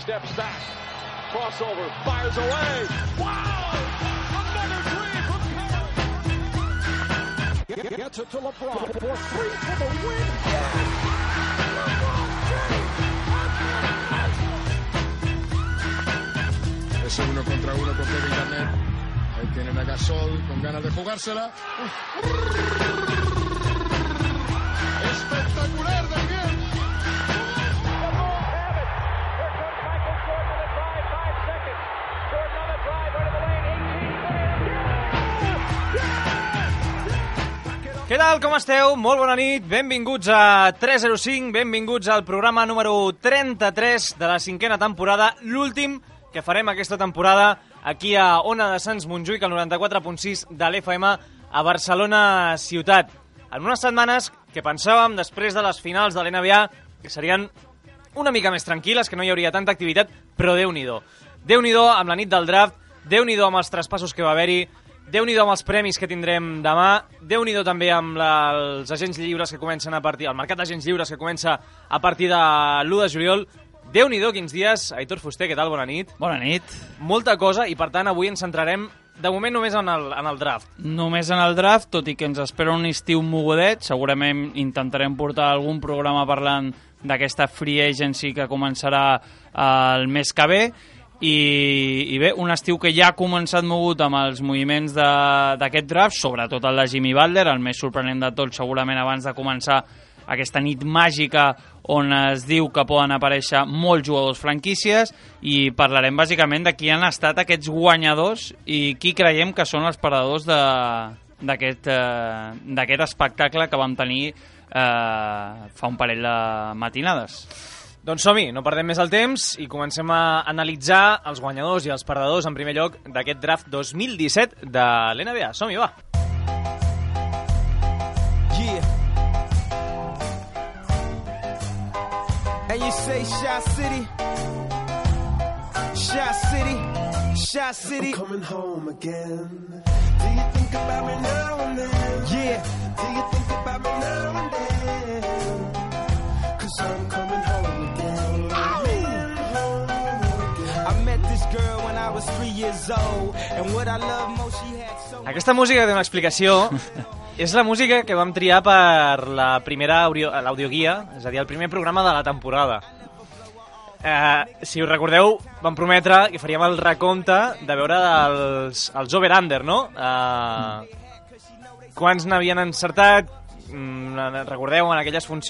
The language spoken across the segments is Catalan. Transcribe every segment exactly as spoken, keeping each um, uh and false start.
steps back. Crossover, fires away. Wow! Another three from Curry. Gets it to LeBron for three for the win. Yes! LeBron James. Ese uno contra uno con Kevin Garnett. Ahí tienen a Gasol con ganas de jugársela. Espectacular de bien. Què tal, com esteu? Molt bona nit, benvinguts a tres zero cinc, benvinguts al programa número trenta-tres de la cinquena temporada, l'últim que farem aquesta temporada aquí a Ona de Sants Montjuïc, al noranta-quatre punt sis de l'F M a Barcelona ciutat. En unes setmanes que pensàvem, després de les finals de l'N B A, que serien una mica més tranquil·les, que no hi hauria tanta activitat, però Déu-n'hi-do. Déu-n'hi-do amb la nit del draft, Déu-n'hi-do amb els traspassos que va haver-hi, Déu-n'hi-do amb els premis que tindrem demà, Déu-n'hi-do també amb la, els agents lliures que comencen a partir, el mercat d'agents lliures que comença a partir de l'u de juliol. Déu-n'hi-do quins dies. Aitor Fuster, què tal? Bona nit. Bona nit. Molta cosa i per tant avui ens centrarem de moment només en el, en el draft. Només en el draft, tot i que ens espera un estiu mogudet. Segurament intentarem portar algun programa parlant d'aquesta free agency que començarà el mes que ve. I, i bé, un estiu que ja ha començat mogut amb els moviments d'aquest draft, sobretot el de Jimmy Butler, el més sorprenent de tot segurament abans de començar aquesta nit màgica on es diu que poden aparèixer molts jugadors franquícies, i parlarem bàsicament de qui han estat aquests guanyadors i qui creiem que són els perdedors d'aquest eh, d'aquest espectacle que vam tenir eh, fa un parell de matinades. Doncs som-hi, no perdem més el temps i comencem a analitzar els guanyadors i els perdedors en primer lloc d'aquest draft dos mil disset de l'N B A. Som-hi, va! Yeah. And you say Shot City, Shot City, Shot City. I'm coming home again. Do you think about me now and then? Yeah. Do you think about me now and then? 'Cause I'm coming home again. I met this girl when I was three years old, and what I love most she had so. Aquesta música té una explicació. És la música que vam triar per la primera l'audioguia, és a dir, el primer programa de la temporada. Eh, si us recordeu, vam prometre que faríem el recompte de veure els, els over-under, no? Eh, quants n'havien encertat, mm, recordeu, en, aquelles func...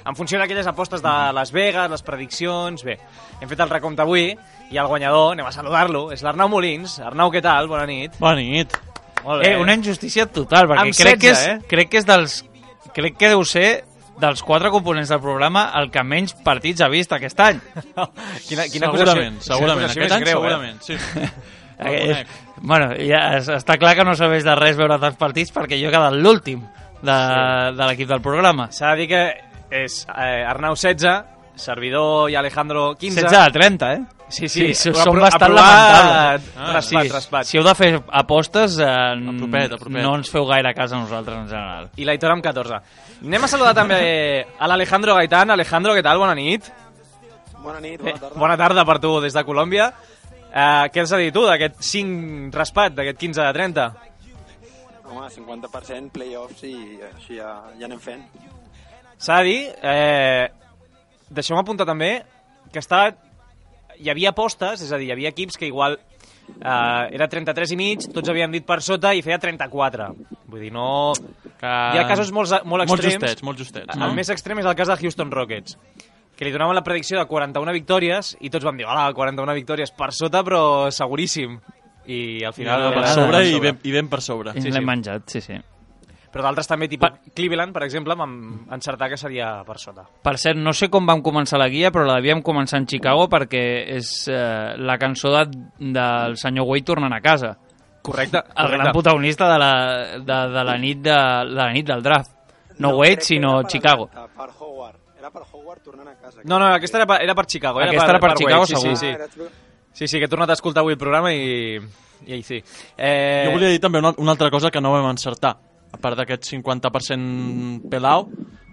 en funció d'aquelles apostes de Las Vegas, les prediccions. Bé, hem fet el recompte avui i el guanyador, anem a saludar-lo, és l'Arnau Molins. Arnau, què tal? Bona nit. Bona nit. Molt bé. Eh, una injustícia total, perquè Amb crec, setze, que és, eh? crec que és dels... Crec que deu ser dels quatre components del programa el que menys partits ha vist aquest any. quina, quina segurament, acusació, segurament. quina Aquest any greu, segurament, sí. Eh, bueno, ja es- està clar que no serveix de res veure tants partits perquè jo he quedat l'últim de, de l'equip del programa. eh? S'ha de dir que és eh, Arnau setze, servidor i Alejandro quinze. setze a trenta, eh? Sí, sí, sí però són apro- bastant aprovat, lamentables. Ah, raspat, sí, raspat. Si heu de fer apostes, eh, Apropet, apropet. no ens feu gaire cas a nosaltres en general. I l'Aitor amb catorze. Anem a saludar també a l'Alejandro Gaitán. Alejandro, què tal? Bona nit. Bona nit, Eh, bona tarda. bona tarda per tu des de Colòmbia. Eh, què has de dir tu d'aquest cinc raspat, d'aquest quinze de trenta? Home, cinquanta per cent playoffs i així ja, ja anem fent. S'ha de dir, eh, deixeu-me apuntar també, que està, hi havia apostes, és a dir, hi havia equips que igual eh, era trenta-tres i mig, tots havien dit per sota i feia trenta-quatre. Vull dir, no... Que... Hi ha casos molt, molt Molt extrems. justets, molt justets. El més extrem és el cas de Houston Rockets, que li donaven la predicció de quaranta-una victòries i tots vam dir, hola, quaranta-una victòries per sota, però seguríssim. I al final... Final per era sobre per i ben, i ben per sobre. I Sí, l'hem sí. menjat, sí, sí. Però d'altres també, tipus Cleveland, per exemple, vam encertar que seria per sota. Per cert, no sé com vam començar la guia, però la devíem començar en Chicago perquè és eh, la cançó de, del senyor Wade tornant a casa. Correcte. El correcte. gran protagonista de la, de, de, la nit de, de la nit del draft. No, Wade, crec que sinó era per- Chicago. Per Howard. Era per Howard tornant a casa. No, no, aquesta era per, era per Chicago. Aquesta era per Chicago, Wade, sí, segur. sí, Ah, era sí. tu- Sí, sí, que he tornat a escoltar avui el programa i, i ahí sí. Eh... Jo volia dir també una, una altra cosa que no vam encertar, a part d'aquest cinquanta per cent pelau,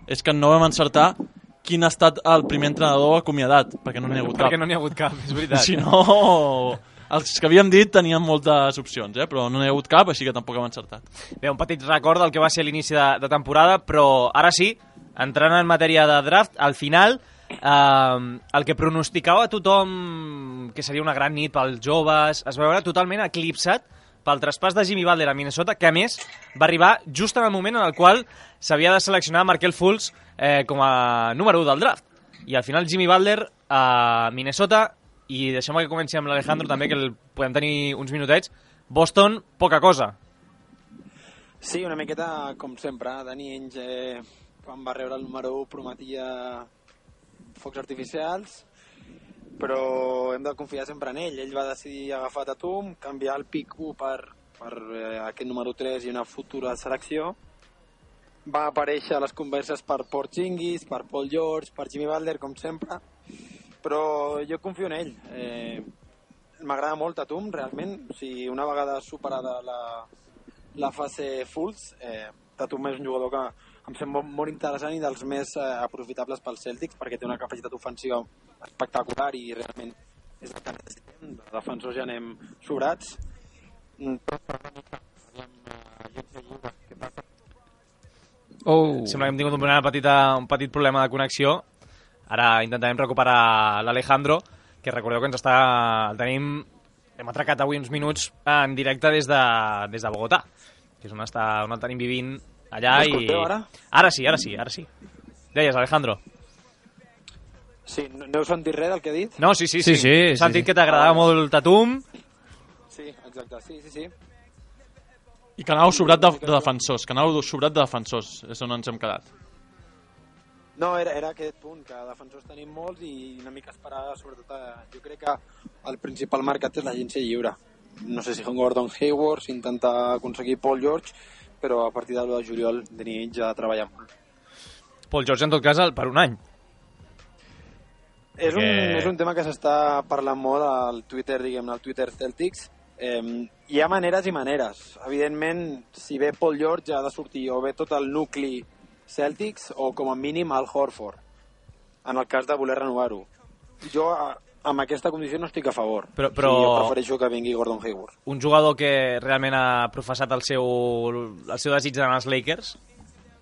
és que no vam encertar quin ha estat el primer entrenador acomiadat, perquè no n'hi ha hagut cap. Perquè no n'hi ha hagut cap, és veritat. Si no, els que havíem dit tenien moltes opcions, eh? Però no n'hi ha hagut cap, així que tampoc hem encertat. Bé, un petit record del que va ser l'inici de, de temporada, però ara sí, entrant en matèria de draft, al final, eh, el que pronosticava a tothom que seria una gran nit pels joves, es va veure totalment eclipsat pel traspàs de Jimmy Butler a Minnesota, que a més va arribar just en el moment en el qual s'havia de seleccionar Markelle Fultz eh, com a número u del draft. I al final Jimmy Butler a Minnesota, i deixem que comenci amb l'Alejandro també, que el podem tenir uns minutets. Boston, poca cosa. Sí, una miqueta com sempre. Danny Ainge, eh, quan va rebre el número u, prometia focs artificials, però hem de confiar sempre en ell. Ell va decidir agafar Tatum, canviar el pick u per, per eh, aquest número tres i una futura selecció. Va aparèixer a les converses per Porzingis, per Paul George, per Jimmy Butler, com sempre, però jo confio en ell. Eh, M'agrada molt Tatum, realment. O sigui, una vegada superada la, la fase Fultz, eh, Tatum és un jugador que em sembla molt interessant i dels més eh, aprofitables pels Celtics, perquè té una capacitat ofensiva espectacular i realment és el que necessitem. De defensors ja anem sobrats. Oh. Sembla que hem tingut un, petita, un petit problema de connexió. Ara intentarem recuperar l'Alejandro, que recordeu que ens està... El tenim... Hem atracat avui uns minuts en directe des de, des de Bogotà, que és on, està, on el tenim vivint allà. I... ara? Ara sí, ara sí, ara sí. Deies, Alejandro. Sí, no, no heu sentit res del que he dit? No, sí, sí, sí. Sí, sí, He sí, sentit sí. que t'agradava molt el Tatum. Sí, exacte, sí, sí, sí. I que anàveu sobrat de, de defensors, que anàveu sobrat de defensors, és on ens hem quedat. No, era, era aquest punt, que defensors tenim molts i una mica esperar, sobretot, a, jo crec que el principal mercat és l'agència lliure. No sé si Gordon Hayward, si intenta aconseguir Paul George, però a partir del de juliol de nit ja treballar molt. Paul George, en tot cas, per un any. És un, Perquè- és un tema que s'està parlant molt al Twitter, diguem-ne, al Twitter Celtics. Eh, hi ha maneres i maneres. Evidentment, si ve Paul George ha de sortir o ve tot el nucli Celtics o com a mínim al Horford, en el cas de voler renovar-ho. Jo a, amb aquesta condició no estic a favor. Però- però- Sí, jo prefereixo que vingui Gordon Hayward. Un jugador que realment ha professat el seu, el seu desig d'anar als Lakers.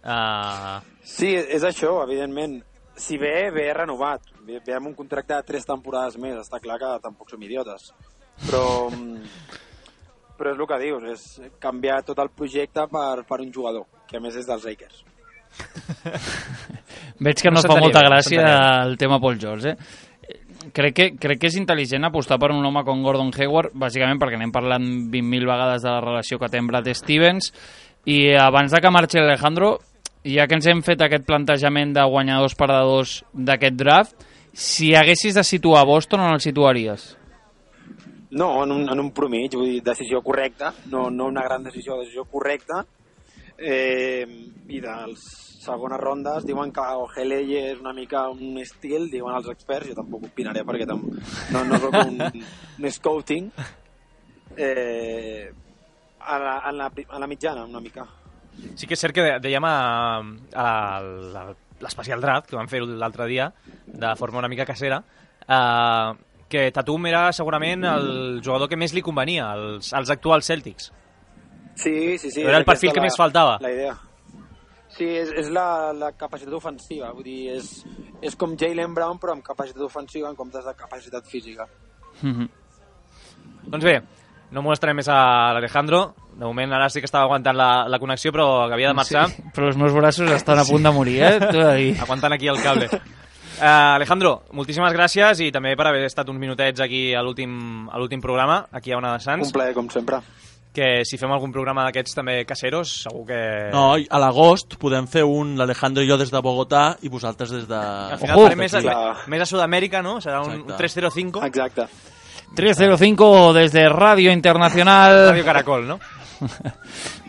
Uh, Sí, és això, evidentment. Si ve, ve renovat. Ve, ve amb un contracte de tres temporades més. Està clar que tampoc som idiotes. Però, però és el que dius, és canviar tot el projecte per, per un jugador, que a més és dels Lakers. Veig que no, No no fa s'entenia molta bé, no gràcia s'entenia el tema Paul George, eh? Crec que, crec que és intel·ligent apostar per un home com Gordon Hayward, bàsicament perquè anem parlant vint mil vegades de la relació que té amb Brad Stevens, i abans de que marxi Alejandro, ja que ens hem fet aquest plantejament de guanyadors perdedors d'aquest draft, si haguessis de situar Boston, on el situaries? No, en un, en un promig, vull dir, decisió correcta, no, no una gran decisió, decisió correcta, eh, i dels segones rondes diuen que Ojeleye és una mica un estil, diuen els experts, jo tampoc opinaré perquè tam no, no soc un, un scouting, eh, a, la, a, la, a la mitjana una mica. sí que és cert que dèiem a, a l'especial draft, que vam fer l'altre dia, de forma una mica casera, uh, que Tatum era segurament el jugador que més li convenia als, als actuals Celtics. Sí, sí, sí. Era el perfil aquesta que més faltava. La idea. Sí, és, és la, la capacitat ofensiva, vull dir, és, és com Jaylen Brown però amb capacitat ofensiva en comptes de capacitat física. Mm-hmm. Doncs bé, no molestarem més a l'Alejandro. De moment ara sí que estava aguantant la, la connexió, però que havia de marxar. Sí, però els meus braços estan a punt de morir, eh? T'ho he de dir. Aguantant aquí el cable. Uh, Alejandro, moltíssimes gràcies i també per haver estat uns minutets aquí a l'últim a l'últim programa, aquí a Ona de Sants. Un plaer, com sempre. Que si fem algun programa d'aquests també caseros, segur que... No, i a l'agost podem fer un l'Alejandro i jo des de Bogotà i vosaltres des de... Al final Ojo! farem més, a, Clar. més a Sud-amèrica, no? Serà un, Exacte. un tres cero cinco. Exacte. tres cero cinco desde Radio Internacional. Radio Caracol, no?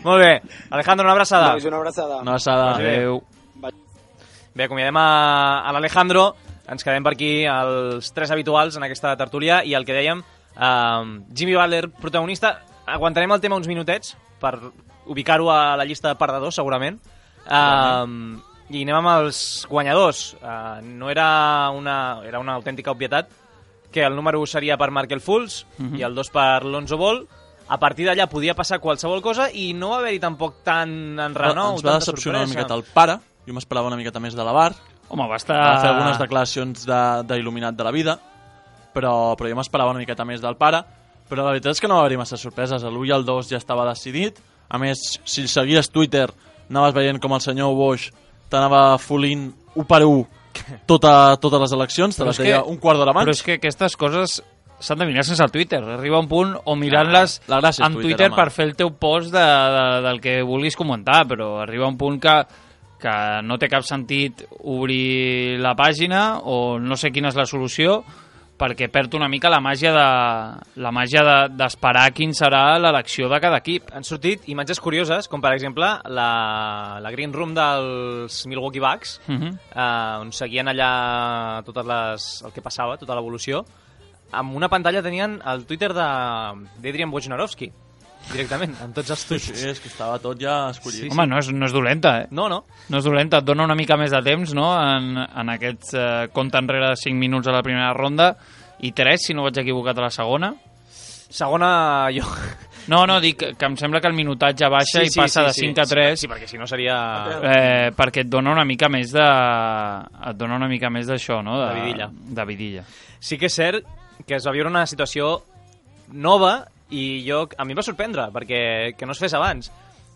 Molt bé. Alejandro, una abraçada. Nois, una abraçada. Una passada. Adéu. Bé, acomiadem a, a l'Alejandro. Ens quedem per aquí els tres habituals en aquesta tertúlia i el que dèiem, uh, Jimmy Butler, protagonista. Aguantarem el tema uns minutets per ubicar-ho a la llista de perdedors, segurament. Uh, I anem amb els guanyadors. Uh, no era una, era una autèntica obvietat que el número u seria per Markel Fultz uh-huh. i el dos per Lonzo Ball. A partir d'allà podia passar qualsevol cosa i no va haver-hi tampoc tant enrenou, ens va tanta decepcionar sorpresa. una miqueta el pare. Jo m'esperava una miqueta més de la Bar. Home, va estar... Va fer algunes declaracions d'il·luminat de, de la vida, però, però jo m'esperava una miqueta més del pare. Però la veritat és que no va haver-hi massa sorpreses. L'u i el dos ja estava decidit. A més, si seguies Twitter, anaves veient com el senyor Bosch t'anava folint u per u tota, totes les eleccions, te les deia un quart d'hora abans. Però és que aquestes coses s'han de mirar sense el Twitter. Arriba un punt o mirant-les ah, en Twitter, Twitter per fer el teu post de, de, del que vulguis comentar, però arriba un punt que, que no té cap sentit obrir la pàgina o no sé quina és la solució, perquè perd una mica la màgia de la màgia d'esperar de, quin serà l'elecció de cada equip. Han sortit imatges curioses, com per exemple la, la Green Room dels Milwaukee Bucks, uh -huh. eh, on seguien allà totes les, el que passava, tota l'evolució. Amb una pantalla tenien el Twitter d'Adrian Wojnarowski, directament, amb tots els tuits. Sí, és que estava tot ja escollit. Sí, Home, sí. No, és, no és dolenta, eh? No, no. No és dolenta, et dona una mica més de temps, no?, en, en aquest eh, compte enrere de cinc minuts a la primera ronda i tres, si no vaig equivocat, a la segona. Segona, jo... No, no, dic que em sembla que el minutatge baixa sí, sí, i passa sí, sí, de cinc a tres. Sí, perquè si no seria... Eh, perquè et dona una mica més de... Et dona una mica més d'això, no? De, de vidilla. De vidilla. Sí que és cert que es va viure una situació nova i jo, a mi em va sorprendre, perquè que no es fes abans,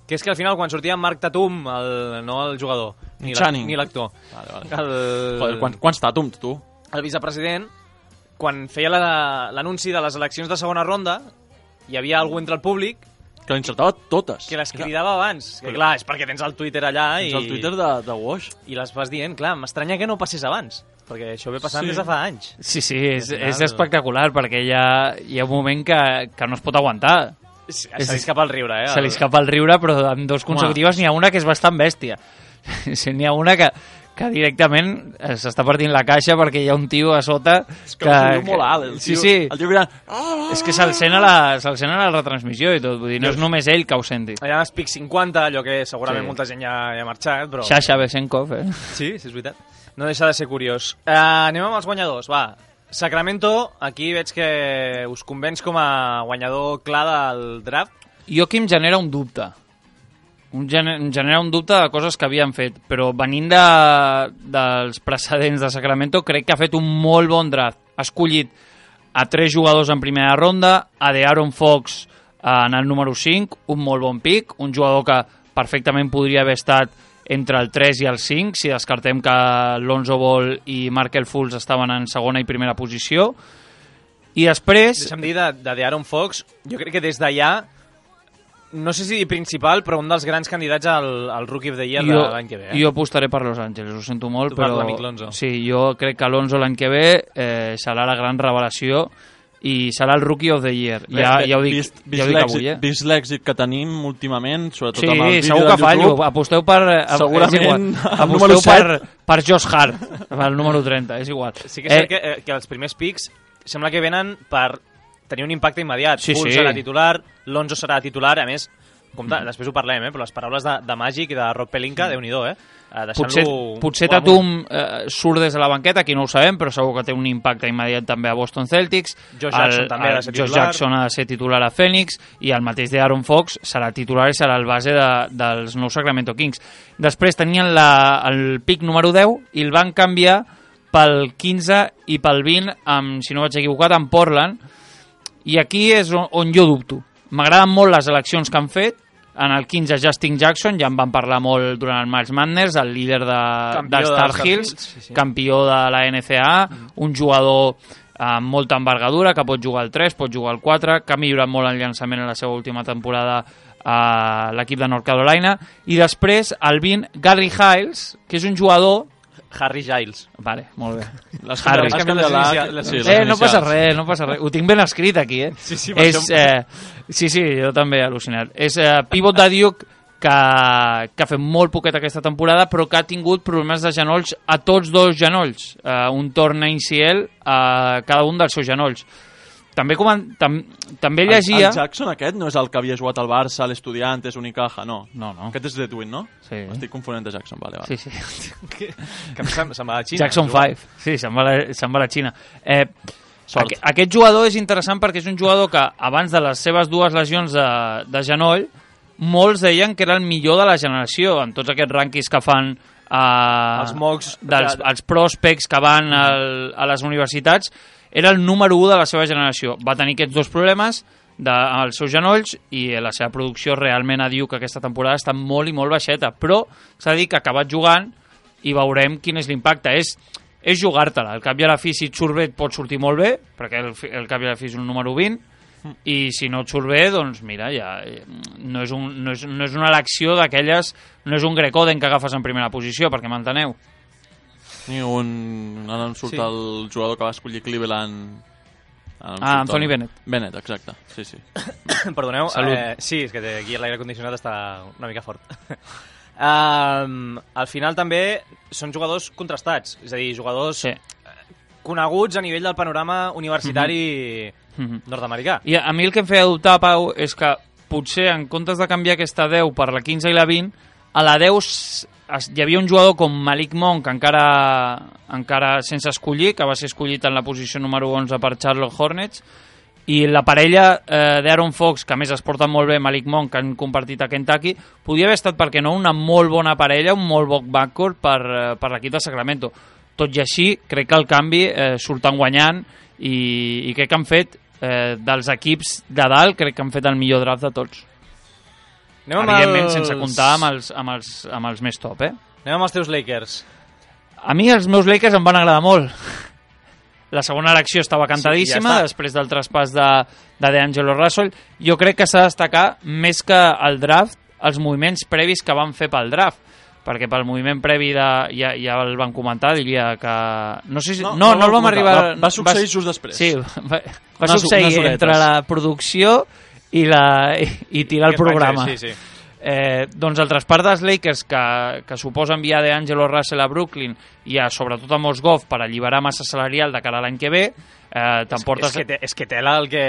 que és que al final quan sortia Marc Tatum, el, no el jugador, ni l'actor, vale, vale. el, Joder, quants, quants Tatums, tu? El vicepresident, quan feia l'anunci de les eleccions de segona ronda, hi havia algú entre el públic que l'encertava totes. Que les cridava abans. Que, clar, és perquè tens el Twitter allà tens i... el Twitter de, de Wash. I les vas dient, clar, m'estranya que no passés abans, perquè això ve passant sí. des de fa anys. Sí, sí, és, final... és espectacular, perquè hi ha, hi ha un moment que, que no es pot aguantar. Se li escapa el riure, eh? Se li escapa el riure, però en dos consecutives n'hi ha una que és bastant bèstia. N'hi ha una que, que directament s'està partint la caixa perquè hi ha un tio a sota és que... que és molt alt, el tio, sí, sí. el tio mirant... És que se'l sent, a la, se'l sent a la retransmissió i tot, vull dir, no és només ell que ho senti. Hi ha els Pic cinquanta, allò que segurament sí. molta gent ja, ja ha marxat, però... Sasha Besenkov, eh? Sí, sí, és veritat. No deixa de ser curiós. Uh, anem amb els guanyadors, va. Sacramento, aquí veig que us convenç com a guanyador clar del draft. Jo aquí em genera un dubte. Un gener, em genera un dubte de coses que havien fet, però venint de, dels precedents de Sacramento, crec que ha fet un molt bon draft. Ha escollit a tres jugadors en primera ronda, a De'Aaron Fox en el número cinc, un molt bon pick, un jugador que perfectament podria haver estat entre el tres i el cinc, si descartem que Lonzo Ball i Markel Fultz estaven en segona i primera posició. I després... Deixa'm dir de, de De'Aaron Fox, jo crec que des d'allà, no sé si principal, però un dels grans candidats al, al Rookie of the Year jo, de l'any que ve. Eh? Jo apostaré per Los Angeles, ho sento molt, tu però... l'amic Lonzo. Sí, jo crec que Lonzo l'any que ve eh, serà la gran revelació i serà el Rookie of the Year. Ja, ja ho dic, vist, ja ho dic avui, eh? Vist l'èxit que tenim últimament, sobretot sí, amb el vídeo segur que de fallo. YouTube. Aposteu per... Segurament aposteu per, per Josh Hart, el número trenta, és igual. Sí que és eh, cert que, eh, que els primers pics sembla que venen per tenir un impacte immediat. Sí, Fultz sí. serà titular, Lonzo serà titular, a més, compte, mm. després ho parlem, eh, però les paraules de, de Magic i de Rob Pelinka, mm. Déu-n'hi-do, eh? Potser, potser Tatum eh, surt des de la banqueta, aquí no ho sabem, però segur que té un impacte immediat també a Boston Celtics. Josh Jackson el, també ha de ser titular. Josh Jackson ha de ser titular a Phoenix i el mateix d'Aaron Fox serà titular i serà el base de, dels nous Sacramento Kings. Després tenien la, el pick número deu i el van canviar pel quinze i pel vint, amb, si no vaig equivocat, amb Portland. I aquí és on, on jo dubto. M'agraden molt les eleccions que han fet. En el quinze, Justin Jackson, ja en van parlar molt durant el March Madness, el líder de, de Star Hills, sí, sí. campió de la N C A A, mm. un jugador amb molta envergadura, que pot jugar al tres, pot jugar al quatre, que ha millorat molt el llançament en la seva última temporada a l'equip de North Carolina. I després, el vint, Gary Hiles, que és un jugador... Harry Giles. Vale, molt bé. Les Harry. Les les les sí, eh, no passa res, no passa res. Ho tinc ben escrit aquí, eh? Sí, sí, és, eh, sí, sí, jo també he al·lucinat. És eh, pivot de Duke que, que ha fet molt poquet aquesta temporada, però que ha tingut problemes de genolls a tots dos genolls. Eh, un torn a I C L a cada un dels seus genolls. també, coman... Tam... també El, llegia... el Jackson aquest no és el que havia jugat al Barça, l'Estudiantes, Unicaja, no. No, no. Aquest és d'Edwin, no? Sí. Estic confonent de Jackson, vale, vale. Sí, sí. Que, que se'n, se'n va a la Xina. Jackson juga. cinc, sí, se'n va, a la- se'n va a la Xina. Eh, Sort. aqu aquest jugador és interessant perquè és un jugador que abans de les seves dues lesions de, de genoll molts deien que era el millor de la generació en tots aquests rànquings que fan eh, Els mocks dels, de- els prospects que van al, a les universitats. Era el número u de la seva generació. Va tenir aquests dos problemes de, als seus genolls i la seva producció realment diu que aquesta temporada està molt i molt baixeta, però s'ha de dir que ha acabat jugant i veurem quin és l'impacte. És, és jugar-te-la. Al cap i a la fi, si et surt bé, et pot sortir molt bé, perquè el, fi- el cap i a la fi és un número vint, i si no et surt bé, doncs mira, ja eh, no és, un, no és, no és una elecció d'aquelles, no és un Grecoden que agafes en primera posició, perquè m'enteneu. Ni un... Ara em surt Sí. sí. el jugador que va escollir Cleveland... Ara em Ah, surt Anthony el- Bennett. Bennett, exacte. Sí, sí. Perdoneu, Salut. eh, sí, és que aquí l'aire condicionat està una mica fort. um, al final també són jugadors contrastats, és a dir, jugadors Sí. coneguts a nivell del panorama universitari Mhm. nord-americà. I a, a mi el que em feia dubtar, Pau, és que potser en comptes de canviar aquesta deu per la quinze i la vint, a la deu s- es, hi havia un jugador com Malik Monk, encara, encara sense escollir, que va ser escollit en la posició número onze per Charlotte Hornets, i la parella eh, d'Aaron Fox, que a més es porten molt bé, Malik Monk, que han compartit a Kentucky, podia haver estat, perquè no, una molt bona parella, un molt bon backcourt per, eh, per l'equip de Sacramento. Tot i així, crec que el canvi eh, surten guanyant i, i crec que han fet, eh, dels equips de dalt, crec que han fet el millor draft de tots. Anem amb Evidentment, els... sense comptar amb els, amb, els, amb els més top, eh? Anem amb els teus Lakers. A mi els meus Lakers em van agradar molt. La segona elecció estava cantadíssima, Sí, ja està. després del traspàs de, de DeAngelo Russell. Jo crec que s'ha de destacar, més que el draft, els moviments previs que van fer pel draft. Perquè pel moviment previ de, ja, ja el van comentar, diria que... No, sé si, no, no, no el vam comentar. arribar... Va, va succeir just després. Sí, va, va Unes- succeir unes horetes. entre la producció i, la, i, i tirar el Que es va programa. fer, Sí, sí. Eh, doncs el traspàs dels Lakers que, que suposa enviar DeAngelo Russell a Brooklyn i a, sobretot a Mos Goff per alliberar massa salarial de cara a l'any que ve, eh, t'emportes És que, te, és que tela el que...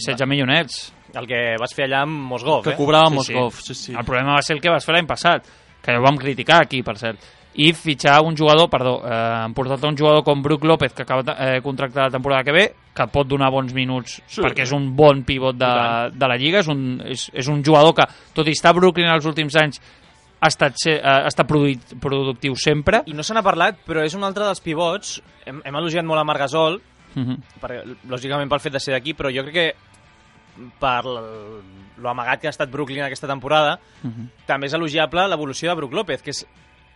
setze milionets. El que vas fer allà amb Mosgov, Que eh? cobrava Sí, Moscov, sí, sí. El problema va ser el que vas fer l'any passat, que ho vam criticar aquí, per cert. I fitxar un jugador, perdó, eh, han portat un jugador com Brook López, que acaba de eh, contractar la temporada que ve, que pot donar bons minuts, Sí. perquè és un bon pivot de, de la Lliga, és un, és, és un jugador que, tot i estar a Brooklyn els últims anys, ha estat, ser, eh, ha estat produït, productiu sempre. I no se n'ha parlat, però és un altre dels pivots. Hem, hem elogiat molt a Marc Gasol, Uh -huh. per, lògicament pel fet de ser d'aquí, però jo crec que per l- lo amagat que ha estat Brooklyn aquesta temporada, Uh -huh. també és elogiable l'evolució de Brook López, que és,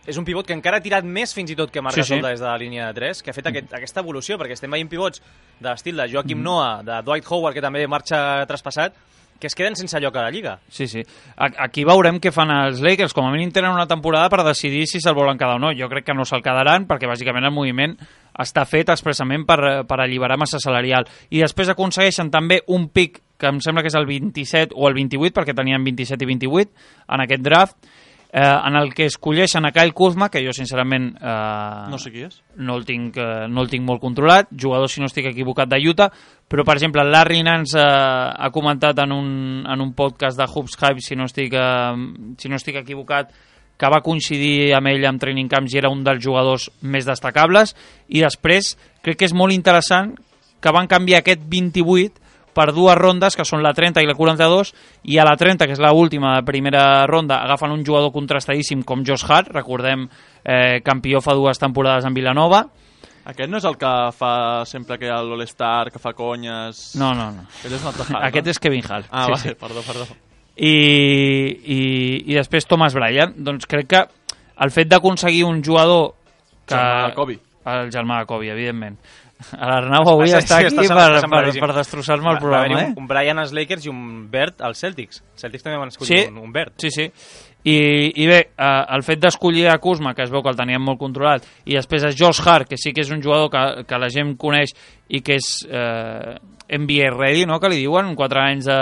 és un pivot que encara ha tirat més fins i tot que Marc Sí, Gasol sí. des de la línia de tres, que ha fet aquest, aquesta evolució, perquè estem veient pivots de l'estil de Joakim Noah, de Dwight Howard, que també marxa traspassat, que es queden sense lloc a la Lliga. Sí, sí. A- Aquí veurem què fan els Lakers. Com a mínim tenen una temporada per decidir si se'l volen quedar o no. Jo crec que no se'l quedaran perquè bàsicament el moviment està fet expressament per, per alliberar massa salarial. I després aconsegueixen també un pic que em sembla que és el vint-i-set o el vint-i-vuit, perquè tenien vint-i-set i vint-i-vuit en aquest draft, eh, en el que escolleixen a Kyle Kuzma, que jo sincerament eh, No sé qui és. no el tinc, eh, no el tinc molt controlat, jugador, si no estic equivocat, de Utah, però, per exemple, Larry Nance eh, ha comentat en un, en un podcast de Hoops Hype, si no estic, eh, si no estic equivocat, que va coincidir amb ell en training camps i era un dels jugadors més destacables, i després crec que és molt interessant que van canviar aquest vint-i-vuit per dues rondes, que són la trenta i la quaranta-dos, i a la trenta, que és l'última primera ronda, agafen un jugador contrastadíssim com Josh Hart, recordem, eh, campió fa dues temporades en Vilanova. Aquest no és el que fa sempre que hi ha l'All-Star, que fa conyes... No, no, no. Aquest és un altre Hart, Aquest no? és Kevin Hart. Ah, sí, vale, sí. perdó, perdó. I, i, I després Thomas Bryant. Doncs crec que el fet d'aconseguir un jugador que... Germà de Kobe. El germà de Kobe, evidentment. L'Arnau avui Sí, sí, està aquí està per, sembla- està per, sembladíssim. per destrossar-me el Va- va haver-hi programa, eh? un, un Brian als Lakers i un Bert als Celtics. Els Celtics també van escollir Sí, un, un Bert. sí, sí. I, i bé, eh, el fet d'escollir a Kuzma, que es veu que el teníem molt controlat, i després a Josh Hart, que sí que és un jugador que, que la gent coneix i que és eh, N B A ready, no?, que li diuen, quatre anys a,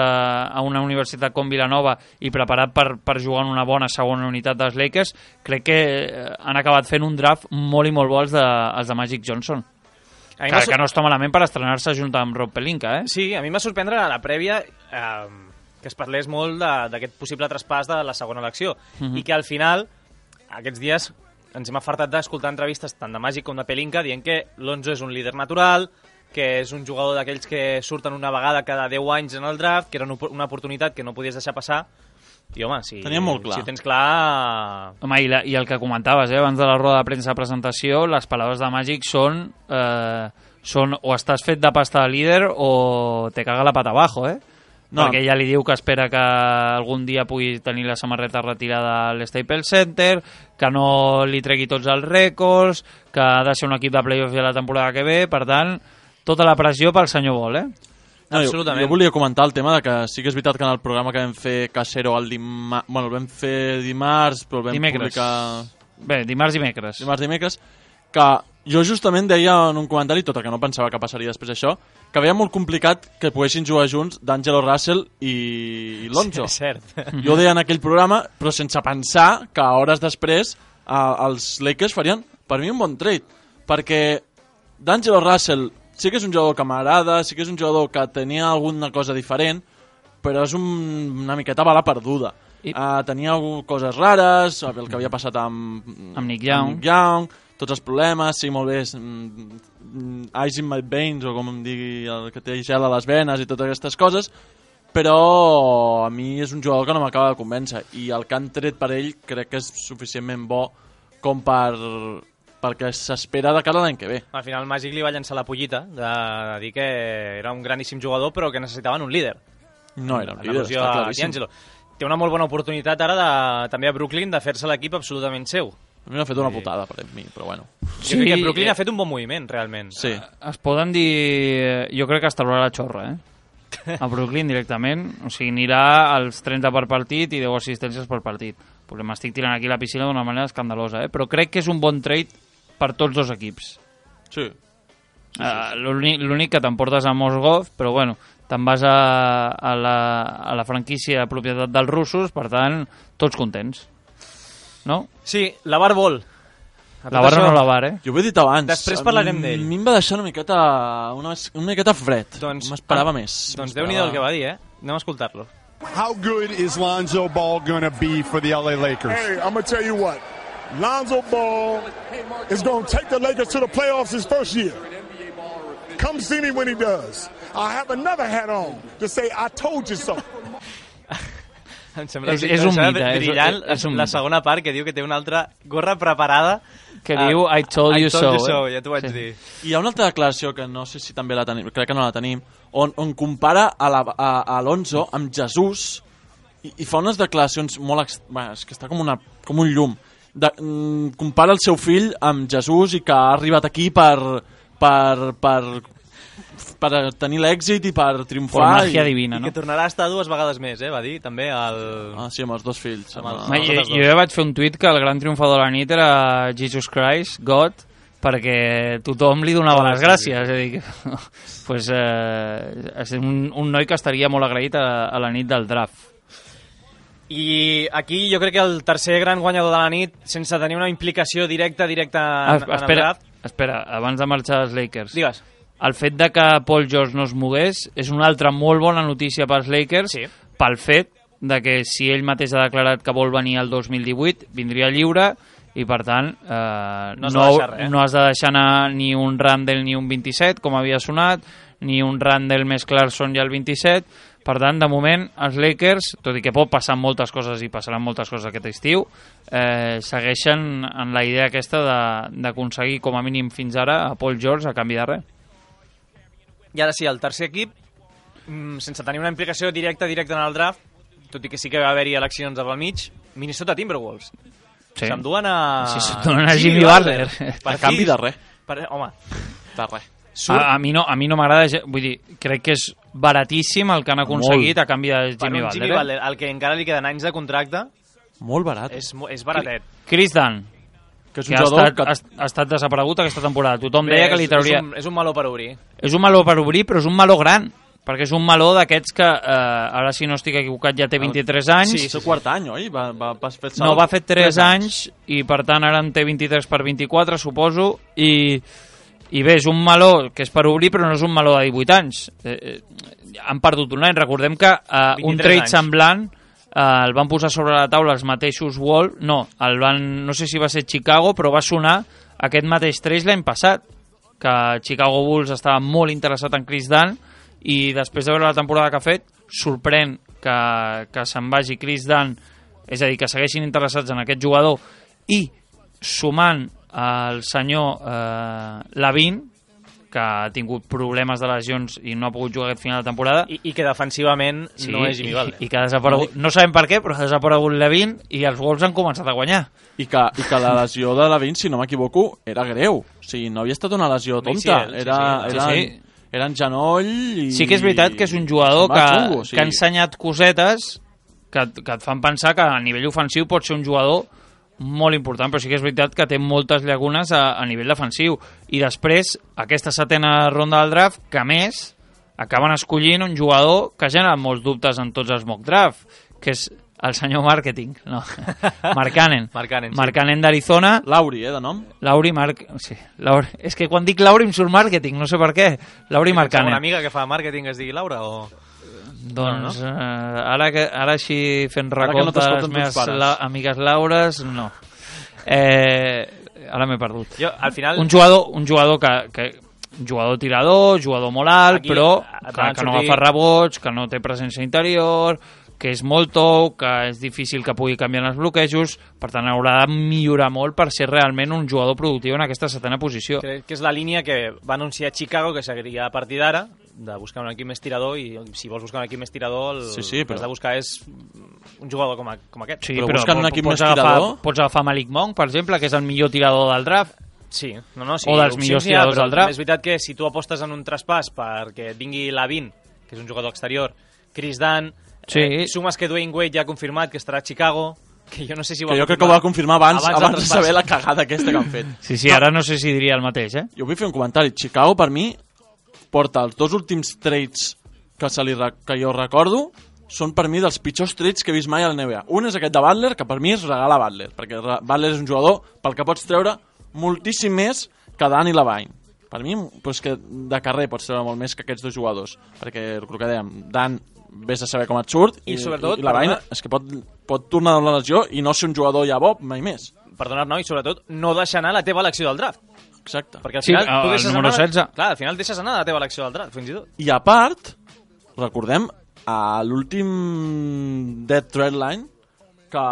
a una universitat com Vilanova i preparat per, per jugar en una bona segona unitat dels Lakers, crec que eh, han acabat fent un draft molt i molt bo els de, els de Magic Johnson. A mi Que, m'ha sor- que no està malament per estrenar-se junt amb Rob Pelinka, eh? Sí, a mi m'ha sorprendre a la prèvia eh, que es parlés molt de- d'aquest possible traspàs de la segona elecció Mhm. i que al final, aquests dies, ens hem afartat d'escoltar entrevistes tant de Màgic com de Pelinka dient que l'Onzo és un líder natural, que és un jugador d'aquells que surten una vegada cada deu anys en el draft, que era una op- una oportunitat que no podies deixar passar. I, home, si, Tenia molt clar. si ho tens clar... Home, i, la, i el que comentaves, eh, abans de la roda de premsa de presentació, les paraules de Màgic són, eh, són o estàs fet de pasta de líder o te caga la pata abajo, eh? No. Perquè ella li diu que espera que algun dia pugui tenir la samarreta retirada a l'Staples Center, que no li tregui tots els rècords, que ha de ser un equip de playoffs ja la temporada que ve, per tant, tota la pressió pel senyor Ball, eh? No, jo, Absolutament. jo volia comentar el tema de que sí que és veritat que en el programa que vam fer Casero el dimarts, bueno, el vam fer dimarts, però el vam Dimecres. publicar Bé, dimarts, dimecres. dimarts, dimecres, que jo justament deia en un comentari, tot el que no pensava que passaria després d'això, que veia molt complicat que poguessin jugar junts d'Angelo Russell i, i Lonzo. És cert. Jo deia en aquell programa, però sense pensar que hores després eh, els Lakers farien, per mi, un bon trade, perquè d'Angelo Russell sí que és un jugador que m'agrada, sí que és un jugador que tenia alguna cosa diferent, però és un, una miqueta bala perduda. I- Uh, tenia algu- coses rares, el que havia passat amb, Amb Nick Young. amb Nick Young, tots els problemes, sí, molt bé, és, mm, mm, ice in my veins, o com em digui, el que té gel a les venes i totes aquestes coses, però a mi és un jugador que no m'acaba de convèncer, i el que han tret per ell crec que és suficientment bo com per perquè s'espera de cara a l'any que ve. Al final el Màgic li va llançar la pollita de, de dir que era un graníssim jugador però que necessitaven un líder. No era un En líder, al·lusió està a claríssim. D'Angelo. Té una molt bona oportunitat ara de, també a Brooklyn de fer-se l'equip absolutament seu. A mi m'ha fet una putada per mi, però bueno. Sí, jo crec que Brooklyn eh, ha fet un bon moviment, realment. Sí. Es poden dir... Jo crec que es traurà la xorra, eh? A Brooklyn directament. O sigui, anirà als trenta per partit i deu assistències per partit. Però m'estic tirant aquí a la piscina d'una manera escandalosa, eh? Però crec que és un bon trade per tots dos equips. Sí. Uh, L'únic l'únic que t'emportes a Mosgov, però bueno, te'n vas a, a, la, a la franquícia de propietat dels russos, per tant, tots contents. No? Sí, la Bar vol. A La tot barra això, no la bar, eh? Jo ho he dit abans. Després parlarem a mi- d'ell. A mi em va deixar una miqueta, una, una miqueta fred. Doncs- M'esperava més. Doncs Déu-n'hi-do el que va dir, eh? Anem a escoltar-lo. How good is Lonzo Ball going to be for the L A Lakers? Hey, I'm going to tell you what. Lonzo Ball is going to take the Lakers to the playoffs his first year. Come see me when he does. I have another hat on to say I told you so. Em sembla, És- em és un sembla mite, és- brillant és un la mite. segona part que diu que té una altra gorra preparada Que Ah, diu I told you I told so, you eh? so, ja t'ho vaig Sí. dir. Hi ha una altra declaració que no sé si també la tenim, crec que no la tenim, on, on compara a, la, a, a Alonso amb Jesús i, i fa unes declaracions molt... Ex... Bé, és que està com, una, com un llum. De, mm, compara el seu fill amb Jesús i que ha arribat aquí per, per, per, per tenir l'èxit i per Per triomfar. màgia i, divina, I no? que tornarà a estar dues vegades més, eh? Va dir també el... Ah, sí, amb els dos fills. Amb Amb els- el, Home, jo, totes jo dues. ja vaig fer un tuit que el gran triomfador de la nit era Jesus Christ, God, perquè tothom li donava les gràcies. És a dir, que, pues, eh, és un, un noi que estaria molt agraït a, a la nit del draft. I aquí jo crec que el tercer gran guanyador de la nit, sense tenir una implicació directa directa en, Ah, en el espera, draft... espera, abans de marxar als Lakers. Digues. El fet de que Paul George no es mogués és una altra molt bona notícia pels Lakers, Sí. pel fet de que si ell mateix ha declarat que vol venir el dos mil divuit, vindria lliure i per tant eh, No has no, de deixar res, eh? no has de deixar anar ni un Randall ni un vint-i-set, com havia sonat, ni un Randall més Clarkson i el vint-i-set. Per tant, de moment, els Lakers, tot i que pot passar moltes coses i passaran moltes coses aquest estiu, eh, segueixen en la idea aquesta de- d'aconseguir com a mínim fins ara a Paul George a canvi de res. I ara sí, el tercer equip, mm, sense tenir una implicació directa directa en el draft, tot i que sí que va haver-hi eleccions al mig, Minnesota Timberwolves. Sí. S'enduen a... Sí, s'enduen a Jimmy Butler. Per A canvi fi. de res. Per... Home, De res. surt A, a mi no, a mi no m'agrada, ge- vull dir, crec que és baratíssim el que han aconseguit a canvi de per Jimmy un Butler. Jimmy eh? Butler, al que encara li queden anys de contracte, Molt barat. és, mo- és baratet. Chris Dunn, que és que un ha jugador estat, que... ha, ha estat desaparegut aquesta temporada. Tothom Bé, deia que li és- trauria... És un, és un meló per obrir. És un meló per obrir, però és un meló gran, perquè és un meló d'aquests que, eh, ara si no estic equivocat, ja té vint-i-tres anys. Sí, és el quart any, oi? Va, va, va fer No, va fer tres anys i per tant ara en té vint-i-tres per vint-i-quatre, suposo, i, I bé, és un meló que és per obrir, però no és un meló de divuit anys. Eh, eh, han perdut un any. Recordem que eh, un trade anys. semblant eh, el van posar sobre la taula els mateixos Wolves. No, el van, no sé si va ser Chicago, però va sonar aquest mateix trade l'any passat, que Chicago Bulls estava molt interessat en Chris Dunn, i després de veure la temporada que ha fet, sorprèn que, que se'n vagi Chris Dunn, és a dir, que segueixin interessats en aquest jugador, i sumant el senyor eh, Lavin, que ha tingut problemes de lesions i no ha pogut jugar aquest final de temporada. I, i que defensivament sí, no és Jimmy Butler. I, i que ha desaparegut, no sabem per què, però ha desaparegut Lavin i els Wolves han començat a guanyar. I que, i que la lesió de Lavin, si no m'equivoco, era greu. O sigui, no havia estat una lesió tonta. Sí, sí, era, sí, era, sí, sí. era en genoll i... Sí que és veritat que és un jugador que, xungo, sí. que ha ensenyat cosetes que, que et fan pensar que a nivell ofensiu pot ser un jugador molt important, però sí que és veritat que té moltes llacunes a, a nivell defensiu. I després, aquesta setena ronda del draft, que a més acaben escollint un jugador que genera molts dubtes en tots els mock draft, que és el senyor Marketing, no, Mark Cannon. Mark Cannon, sí. Mark Cannon d'Arizona. Lauri, eh, de nom? Lauri Mark... Sí, Lauri. És que quan dic Lauri em surt Marketing, no sé per què. Lauri Mark Cannon. Una amiga que fa màrqueting es digui Laura o... Doncs no, no? Eh, ara, que, ara així fent Ara recompte no de les meves la, amigues Laures, no. Eh, ara m'he perdut. Jo, al final... Un jugador, un jugador que, que un jugador tirador, jugador molt alt, Aquí, però a, a, que, que no sortir... agafa rebots, que no té presència interior, que és molt tou, que és difícil que pugui canviar els bloquejos, per tant haurà de millorar molt per ser realment un jugador productiu en aquesta setena posició. Crec que és la línia que va anunciar Chicago, que seguiria a partir d'ara, de buscar un equip més tirador, i si vols buscar un equip més tirador, el sí, sí, però... que has de buscar és un jugador com, a, com aquest. Sí, però, però buscant un equip pots més agafar, tirador... Pots agafar Malik Monk, per exemple, que és el millor tirador del draft. Sí, no, no, sí, o dels millors tiradors del draft. És veritat que si tu apostes en un traspàs perquè vingui Lavin, que és un jugador exterior, Chris Dunn, sí. eh, sumes que Dwayne Wade ja ha confirmat que estarà a Chicago, que jo no sé si ho que va jo crec que ho va confirmar abans, abans, abans de saber la cagada aquesta que han fet. Sí, sí, no. Ara no sé si diria el mateix, eh? Jo vull fer un comentari. Chicago, per mi, porta els dos últims trades que, se li, que jo recordo, són per mi dels pitjors trades que he vist mai a la N B A. Un és aquest de Butler, que per mi és regalar Butler, perquè Butler és un jugador pel que pots treure moltíssim més que Dan i Lavine. Per mi, pues que de carrer pots treure molt més que aquests dos jugadors, perquè el que dèiem, Dan vés a saber com et surt, i, I, sobretot, i Lavine és que pot, pot tornar a la lesió i no ser un jugador ja bo mai més. Perdona, no, i sobretot no deixar anar la teva elecció del draft. Exacte. Perquè al sí, final tu el deixes número anar, setze. Clar, al final deixes anar la teva elecció del draft, fins i tot. I a part, recordem a l'últim Dead Trade Line que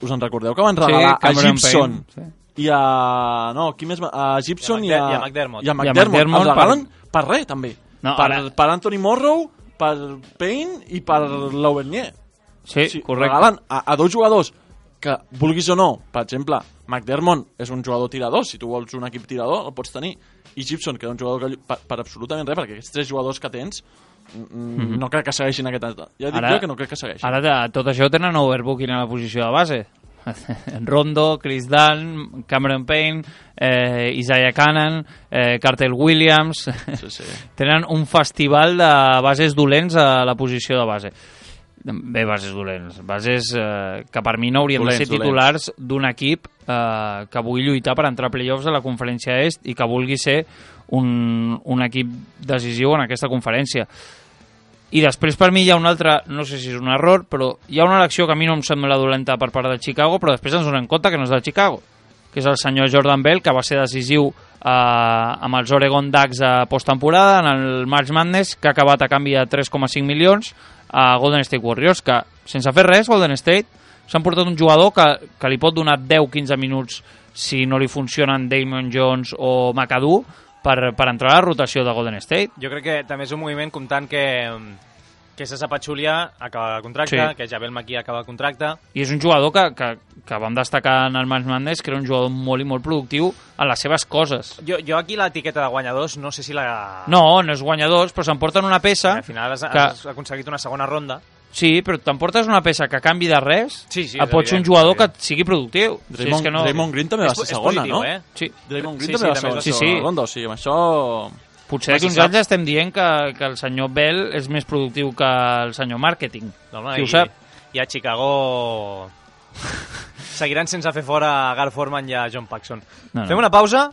us en recordeu que van regalar sí, a Gibson sí. i a no, qui més va? A Gibson i a, i a McDermott, i a McDermott, I a McDermott els regalen per, per res també no, per, ara... per Anthony Morrow, per Payne i per Lauvernier. Sí, sí, correcte. Regalen a, a dos jugadors que, vulguis o no, per exemple, McDermott és un jugador tirador, si tu vols un equip tirador el pots tenir, i Gibson, que és un jugador que, per, per absolutament res, perquè aquests tres jugadors que tens mm-hmm. no crec que segueixin aquest... Ja dic ara, jo que no crec que segueixin. Ara de, tot això tenen overbooking a la posició de base. Rondo, Chris Dunn, Cameron Payne, eh, Isaiah Cannon, eh, Carter Williams... Sí, sí. Tenen un festival de bases dolents a la posició de base. Bé, bases dolents. Bases eh, que per mi no haurien dolents, de ser titulars d'un equip eh, que vulgui lluitar per entrar a playoffs a la conferència est i que vulgui ser un, un equip decisiu en aquesta conferència. I després per mi hi ha un altre, no sé si és un error, però hi ha una elecció que a mi no em sembla dolenta per part de Chicago, però després ens donem compte que no és de Chicago, que és el senyor Jordan Bell, que va ser decisiu eh, amb els Oregon Ducks a posttemporada, en el March Madness, que ha acabat a canvi de tres coma cinc milions a Golden State Warriors, que sense fer res, Golden State s'han portat un jugador que, que li pot donar deu quinze minuts si no li funcionen Damon Jones o McAdoo, Per, per entrar a la rotació de Golden State. Jo crec que també és un moviment comptant que, que César Pachulia acaba el contracte, sí. que Javel McGee acaba el contracte. I és un jugador que, que, que vam destacar en el March Madness, que era un jugador molt i molt productiu en les seves coses. Jo, jo aquí l'etiqueta de guanyadors no sé si la... No, no és guanyadors, però s'emporten una peça... Al final has, que... has aconseguit una segona ronda. Sí, però t'emportes una peça que a canvi de res sí, sí, pot ser un jugador que sigui productiu. Draymond, sí, és que no... Draymond Green també va ser segona, positiu, no? Eh? Sí. Draymond Green sí, també sí, va ser sí, segona sí. ronda, o sigui, amb això... Potser d'aquí uns anys estem dient que, que el senyor Bell és més productiu que el senyor Marketing. No, no, qui i, ho sap? I a Chicago seguiran sense fer fora a Gar Forman i a John Paxson. No, no. Fem una pausa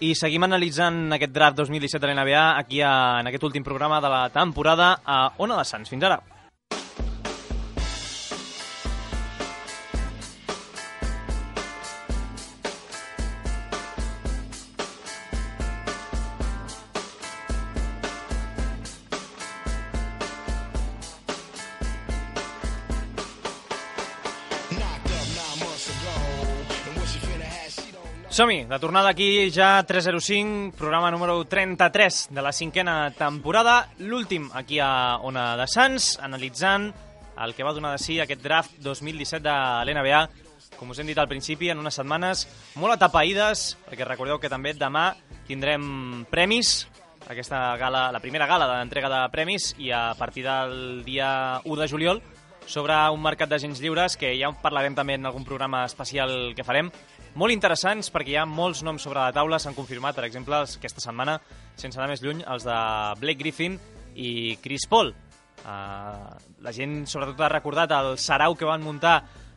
I seguim analitzant aquest draft dos mil disset de l'N B A aquí a, en aquest últim programa de la temporada a Ona de Sants. Fins ara. Som-hi, de tornada aquí ja tres zero cinc, programa número trenta-tres de la cinquena temporada, l'últim aquí a Ona de Sants, analitzant el que va donar de si aquest draft dos mil disset de l'N B A, com us hem dit al principi, en unes setmanes molt atapeïdes, perquè recordeu que també demà tindrem premis, aquesta gala, la primera gala de l'entrega de premis, i a partir del dia u de juliol, sobre un mercat d'agents lliures, que ja en parlarem també en algun programa especial que farem, molt interessants perquè hi ha molts noms sobre la taula, s'han confirmat, per exemple, aquesta setmana, sense anar més lluny, els de Blake Griffin i Chris Paul. Uh, la gent sobretot ha recordat el sarau que van muntar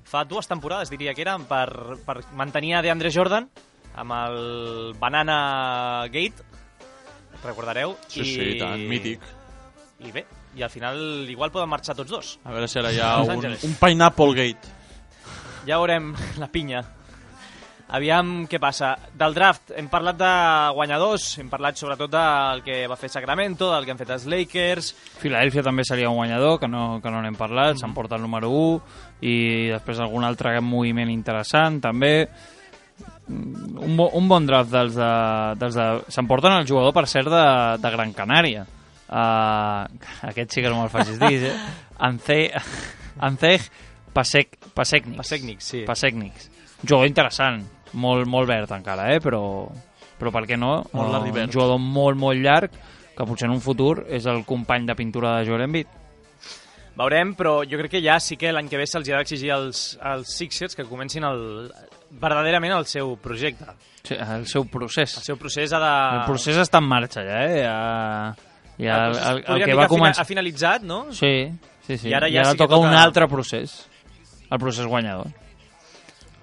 fa dues temporades, diria que eren, per, per mantenir a DeAndre Jordan amb el Banana Gate, recordareu? Sí, I... sí, tant, mític. I bé, i al final igual poden marxar tots dos. A veure si ara hi ha un, un Pineapple Gate. Ja veurem la pinya. Aviam què passa. Del draft hem parlat de guanyadors, hem parlat sobretot del que va fer Sacramento, del que han fet els Lakers. Filadèlfia també seria un guanyador, que no, que no n'hem parlat, mm. s'emporta el número u, i després algun altre moviment interessant, també. Un, bo, un bon draft dels de... Dels de s'emporten el jugador, per cert, de, de Gran Canària. Uh, aquest sí que no me'l facis dir, eh? Anceg Anceg Pasek, Pasekniks. Pasekniks, sí. Pasekniks. Jugador interessant. Molt, molt verd encara, eh? però, però per què no? Molt uh, un jugador molt, molt llarg, que potser en un futur és el company de pintura de Joel Embiid. Veurem, però jo crec que ja sí que l'any que ve se'ls ha d'exigir als, als Sixers que comencin el, verdaderament el seu projecte. Sí, el seu procés. El seu procés ha de... El procés està en marxa ja, eh? Ja, ja el, el, el, el que va que començar... ha finalitzat, no? Sí, sí, sí. I ara ja, ja ja sí que toca, toca un altre procés, el procés guanyador.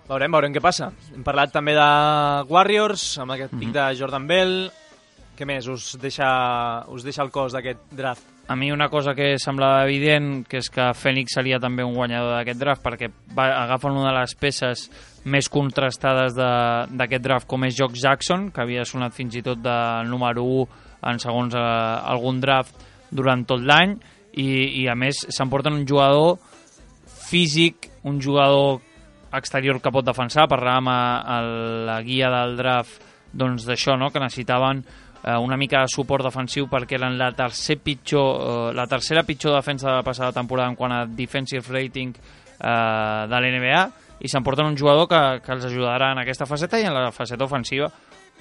Veurem, veurem què passa. Hem parlat també de Warriors, amb aquest pic mm -hmm. de Jordan Bell. Què més us deixa, us deixa el cos d'aquest draft? A mi una cosa que semblava evident, que és que Phoenix seria també un guanyador d'aquest draft, perquè va, agafen una de les peces més contrastades d'aquest draft, com és Jock Jackson, que havia sonat fins i tot del número u en segons eh, algun draft durant tot l'any, i, i a més s'emporten un jugador físic, un jugador exterior que pot defensar. Parlàvem a, a la guia del draft doncs d'això, no? Que necessitaven eh, una mica de suport defensiu perquè eren la, tercer pitjor, eh, la tercera pitjor defensa de la passada temporada en quant a defensive rating eh, de l'N B A, i s'emporten un jugador que, que els ajudarà en aquesta faceta, i en la faceta ofensiva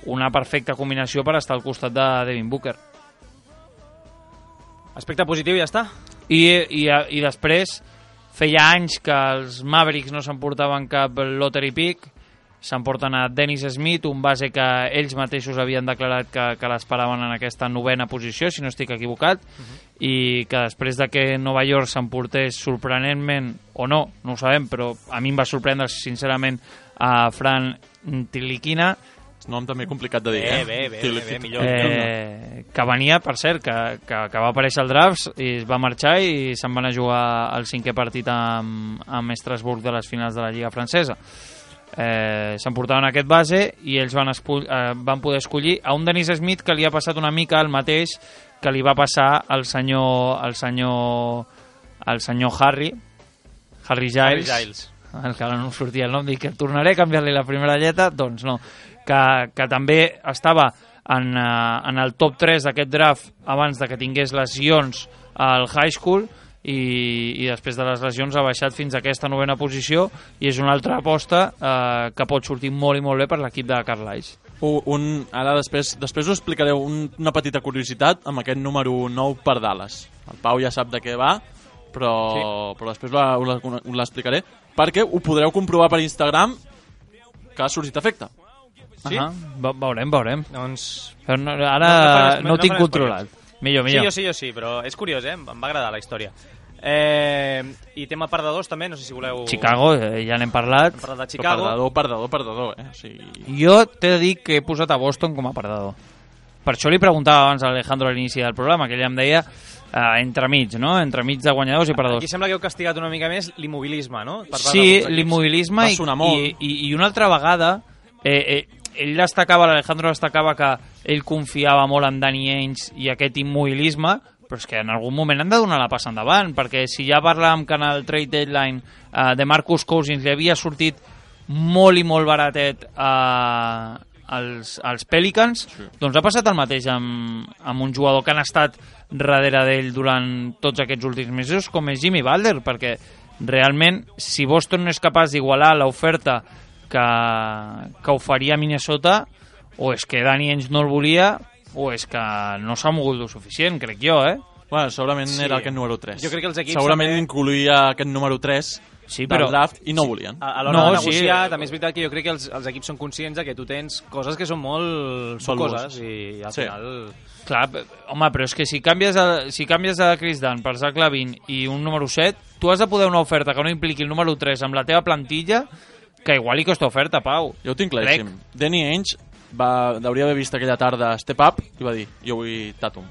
una perfecta combinació per estar al costat de Devin Booker. Aspecte positiu, ja està. I, i, i després feia anys que els Mavericks no s'emportaven cap lottery pick, s'emporten a Dennis Smith, un base que ells mateixos havien declarat que, que l'esperaven en aquesta novena posició, si no estic equivocat, uh-huh. i que després de que Nova York s'emportés sorprenentment, o no, no ho sabem, però a mi em va sorprendre sincerament a Fran Tilikina, nom també complicat de dir, bé, eh? Bé, bé, bé, bé, millor. Eh, que venia, per cert, que, que, que va aparèixer al draft i es va marxar i se'n van a jugar el cinquè partit amb, amb Estrasburg de les finals de la Lliga Francesa. Eh, s'emportaven aquest base i ells van, escull, eh, van poder escollir a un Dennis Smith que li ha passat una mica el mateix que li va passar al senyor al senyor, al senyor Harry Harry Giles, Harry Giles. El que ara no sortia el nom, dic que tornaré a canviar-li la primera lletra, doncs no, que, que també estava en, uh, en el top tres d'aquest draft abans de que tingués lesions al high school, i, i després de les lesions ha baixat fins a aquesta novena posició, i és una altra aposta eh, que pot sortir molt i molt bé per l'equip de Carlisle. Un, un, ara després, després us explicaré un, una petita curiositat amb aquest número nou per Dallas. El Pau ja sap de què va, però, sí. però després us l'explicaré, perquè ho podreu comprovar per Instagram que ha sorgit efecte. Sí? Uh -huh. Veurem, veurem. Doncs... Però no, ara no, no, no, no ho tinc no controlat. Millor, millor. Sí, jo sí, jo sí, però és curiós, eh? Em va agradar la història. Eh, I tema perdedors també, no sé si voleu... Chicago, eh, ja n'hem parlat. Hem parlat de Però Chicago. perdedor, perdedor, perdedor, eh? O sigui... Jo t'he de dir que he posat a Boston com a perdedor. Per això li preguntava abans a Alejandro a l'inici del programa, que ell em deia eh, entremig, no? Entremig de guanyadors i perdedors. Aquí sembla que heu castigat una mica més l'immobilisme, no? Per part Sí, d'alguns equips. l'immobilisme i, i, i, i una altra vegada eh, eh, ell destacava, l'Alejandro destacava que ell confiava molt en Danny Ainge i aquest immobilisme, però és que en algun moment han de donar la passa endavant, perquè si ja parlàvem que en el trade deadline eh, de Marcus Cousins li havia sortit molt i molt baratet eh, als, als Pelicans, sí. Doncs ha passat el mateix amb, amb un jugador que han estat darrere d'ell durant tots aquests últims mesos, com és Jimmy Butler, perquè realment, si Boston no és capaç d'igualar l'oferta que, que oferia Minnesota, o és que Danny Ainge no el volia, o és que no s'ha mogut lo suficient, crec jo, eh? Bueno, segurament Sí. era aquest número tres. Jo crec que els equips Segurament també- incluïa aquest número tres Sí, del però- draft i no volien. A, a l'hora No, de sí. negociar, també és veritat que jo crec que els, els equips són conscients de que tu tens coses que són molt sucoses i al Sí. final... Clar, p- home, però és que si canvies a, si canvies a Chris Dunn per Zach Lavine i un número set, tu has de poder una oferta que no impliqui el número tres amb la teva plantilla, que igual hi costa oferta, Pau. Jo ho tinc claríssim. Danny Ainge va, hauria haver vist aquella tarda Step Up i va dir, jo vull Tatum.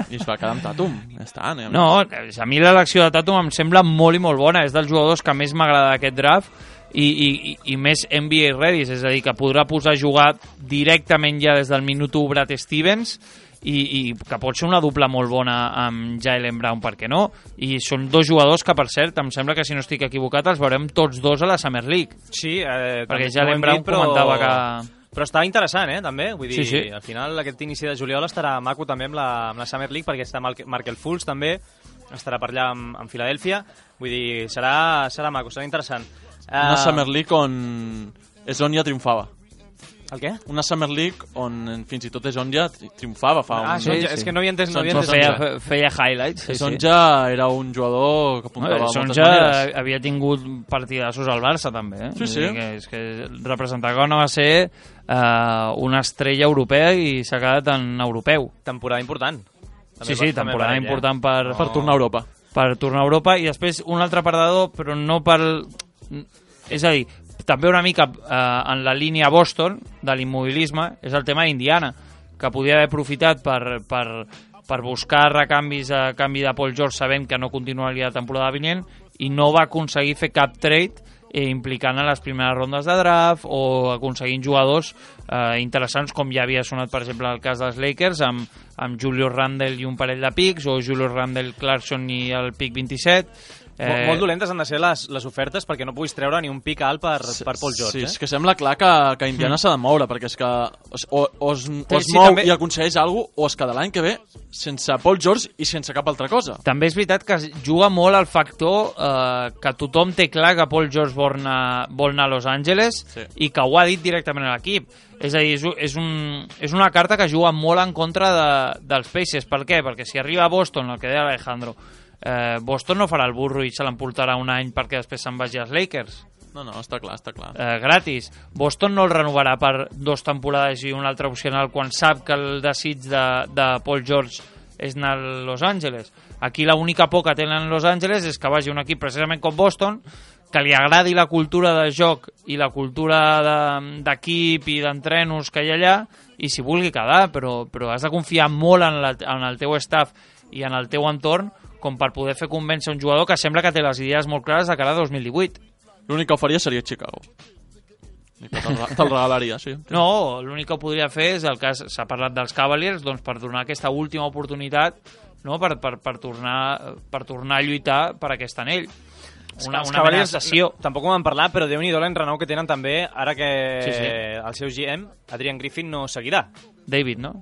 I es va quedar amb Tatum. Ja està, anem. No, a mi l'elecció de Tatum em sembla molt i molt bona. És dels jugadors que més m'agrada d'aquest draft i, i, i- i més N B A ready, és a dir, que podrà posar a jugar directament ja des del minut u Brad Stevens i, i que pot ser una dupla molt bona amb Jaylen Brown, per què no? I són dos jugadors que, per cert, em sembla que si no estic equivocat els veurem tots dos a la Summer League. Sí, eh, Perquè també Jaylen ho hem Brown dit, però- comentava que... Però està interessant, eh, també. Vull dir, Sí, sí. al final aquest inici de juliol estarà maco també amb la, amb la Summer League, perquè està Mark- Markel Fultz també, estarà per allà amb, amb Filadèlfia. Vull dir, serà, serà maco, serà interessant. Una Eh, Summer League on és on ja triomfava. El què? Una Summer League on fins i tot és on ja tri- triomfava fa Ah, un... sí, és que no havia entès, no havia Son- entès. Sonja. Feia, feia highlights. Sí, És on sí. ja era un jugador que apuntava No, a moltes Sonja maneres. havia tingut partidassos al Barça també, eh? Sí, Vull sí. dir Que, és que representava que no va ser eh, una estrella europea i s'ha quedat en europeu. Temporada important. Sí, sí, també temporada per ell, eh? important per, Per tornar a Europa. per tornar a Europa i després un altre perdedor, però no per... És a dir, també una mica eh, en la línia Boston de l'immobilisme és el tema d'Indiana, que podia haver aprofitat per, per, per buscar recanvis a canvi de Paul George sabent que no continuaria la temporada vinent i no va aconseguir fer cap trade eh, implicant a les primeres rondes de draft o aconseguint jugadors eh, interessants com ja havia sonat per exemple el cas dels Lakers amb, amb Julius Randle i un parell de pics o Julius Randle Clarkson i el pic vint-i-set. Molt, molt dolentes han de ser les, les ofertes perquè no puguis treure ni un pic alt per, per Paul George. Sí, eh? és que sembla clar que, que Indiana s'ha de moure, perquè és que o, o, o es, o es Sí, mou també- i aconsegueix alguna cosa, o es queda l'any que ve sense Paul George i sense cap altra cosa. També és veritat que es juga molt al factor eh, que tothom té clar que Paul George vol anar, vol anar a Los Angeles Sí. i que ho ha dit directament a l'equip. És a dir, és, un- és, un, és una carta que juga molt en contra de, dels Pacers. Per què? Perquè si arriba a Boston, el que deia Alejandro, eh, Boston no farà el burro i se l'emportarà un any perquè després se'n vagi als Lakers. No, no, està clar, està clar. Eh, gratis. Boston no el renovarà per dos temporades i una altra opcional quan sap que el desig de, de Paul George és anar a Los Angeles. Aquí l'única por que tenen Los Angeles és que vagi un equip precisament com Boston, que li agradi la cultura de joc i la cultura de- d'equip i d'entrenos que hi ha allà i s'hi vulgui quedar, però, però has de confiar molt en, la, en el teu staff i en el teu entorn com per poder fer convèncer un jugador que sembla que té les idees molt clares de cara a dos mil divuit. L'únic que ho faria seria Chicago. I que te'l te'l regalaria, sí. No, l'únic que ho podria fer és el cas, s'ha parlat dels Cavaliers, doncs per donar aquesta última oportunitat, no? per, per, per, tornar, per tornar a lluitar per aquest anell. Una, Els una mena de Cavaliers, sessió. no, tampoc ho vam parlar, però Déu-n'hi-do l'enrenou que tenen també ara que Sí, sí. el seu G M, Adrian Griffin, no seguirà. David, no?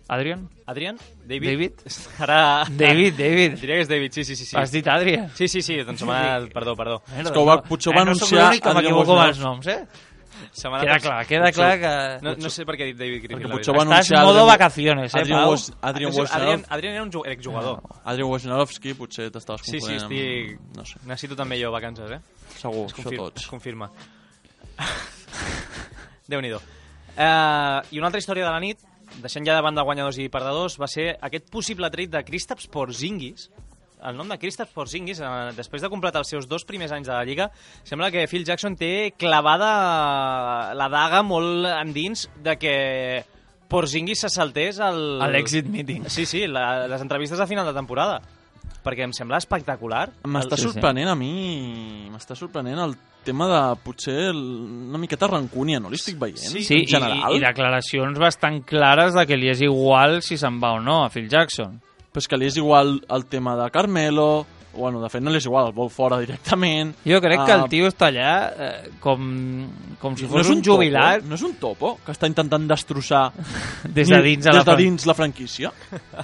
Adrian? Adrian? David? David? Ara... David, David. Diria que és David, sí, sí, sí. sí. Has dit Adrian? Sí, sí, sí, doncs se m'ha anat... Perdó, perdó. És que ho va, potser ho va eh, no soc anunciar l'únic que Adrian m'equivoco amb els Wojnarowski. noms, eh? Se m'ha anat- Queda clar, queda clar que... No, no sé per què he dit David Griffin. Perquè la potser ho va veritat. Estàs anunciar modo Adrian- vacaciones, eh, Adrian Pau? Woj- Adrian Adrian, Wojnarowski. Adrian era un ju- exjugador. Adrian Wojnarowski, potser t'estaves Sí, sí, confonent estic... amb... No sé, Necessito també jo vacances, eh? segur, Es això confirma. tots. Es confirma. Déu-n'hi-do. Uh, I una altra història de la nit, deixant ja de banda guanyadors i perdedors, va ser aquest possible trade de Kristaps Porzingis. El nom de Kristaps Porzingis, eh, després de completar els seus dos primers anys de la Lliga, sembla que Phil Jackson té clavada la daga molt endins de que Porzingis se saltés el... A l'exit meeting. Sí, sí, la, les entrevistes a final de temporada. Perquè em sembla espectacular. M'està el... sorprenent a mi, m'està sorprenent el tema de potser una miqueta rancúnia, no li estic veient? Sí, sí en general. i, i declaracions bastant clares de que li és igual si se'n va o no a Phil Jackson. Però és que li és igual el tema de Carmelo, bueno, de fet no li és igual, el vol fora directament. Jo crec uh, que el tio està allà eh, com, com si fos no un, un jubilat. Topo, no és un topo que està intentant destrossar des de dins, des la, de dins la franquícia?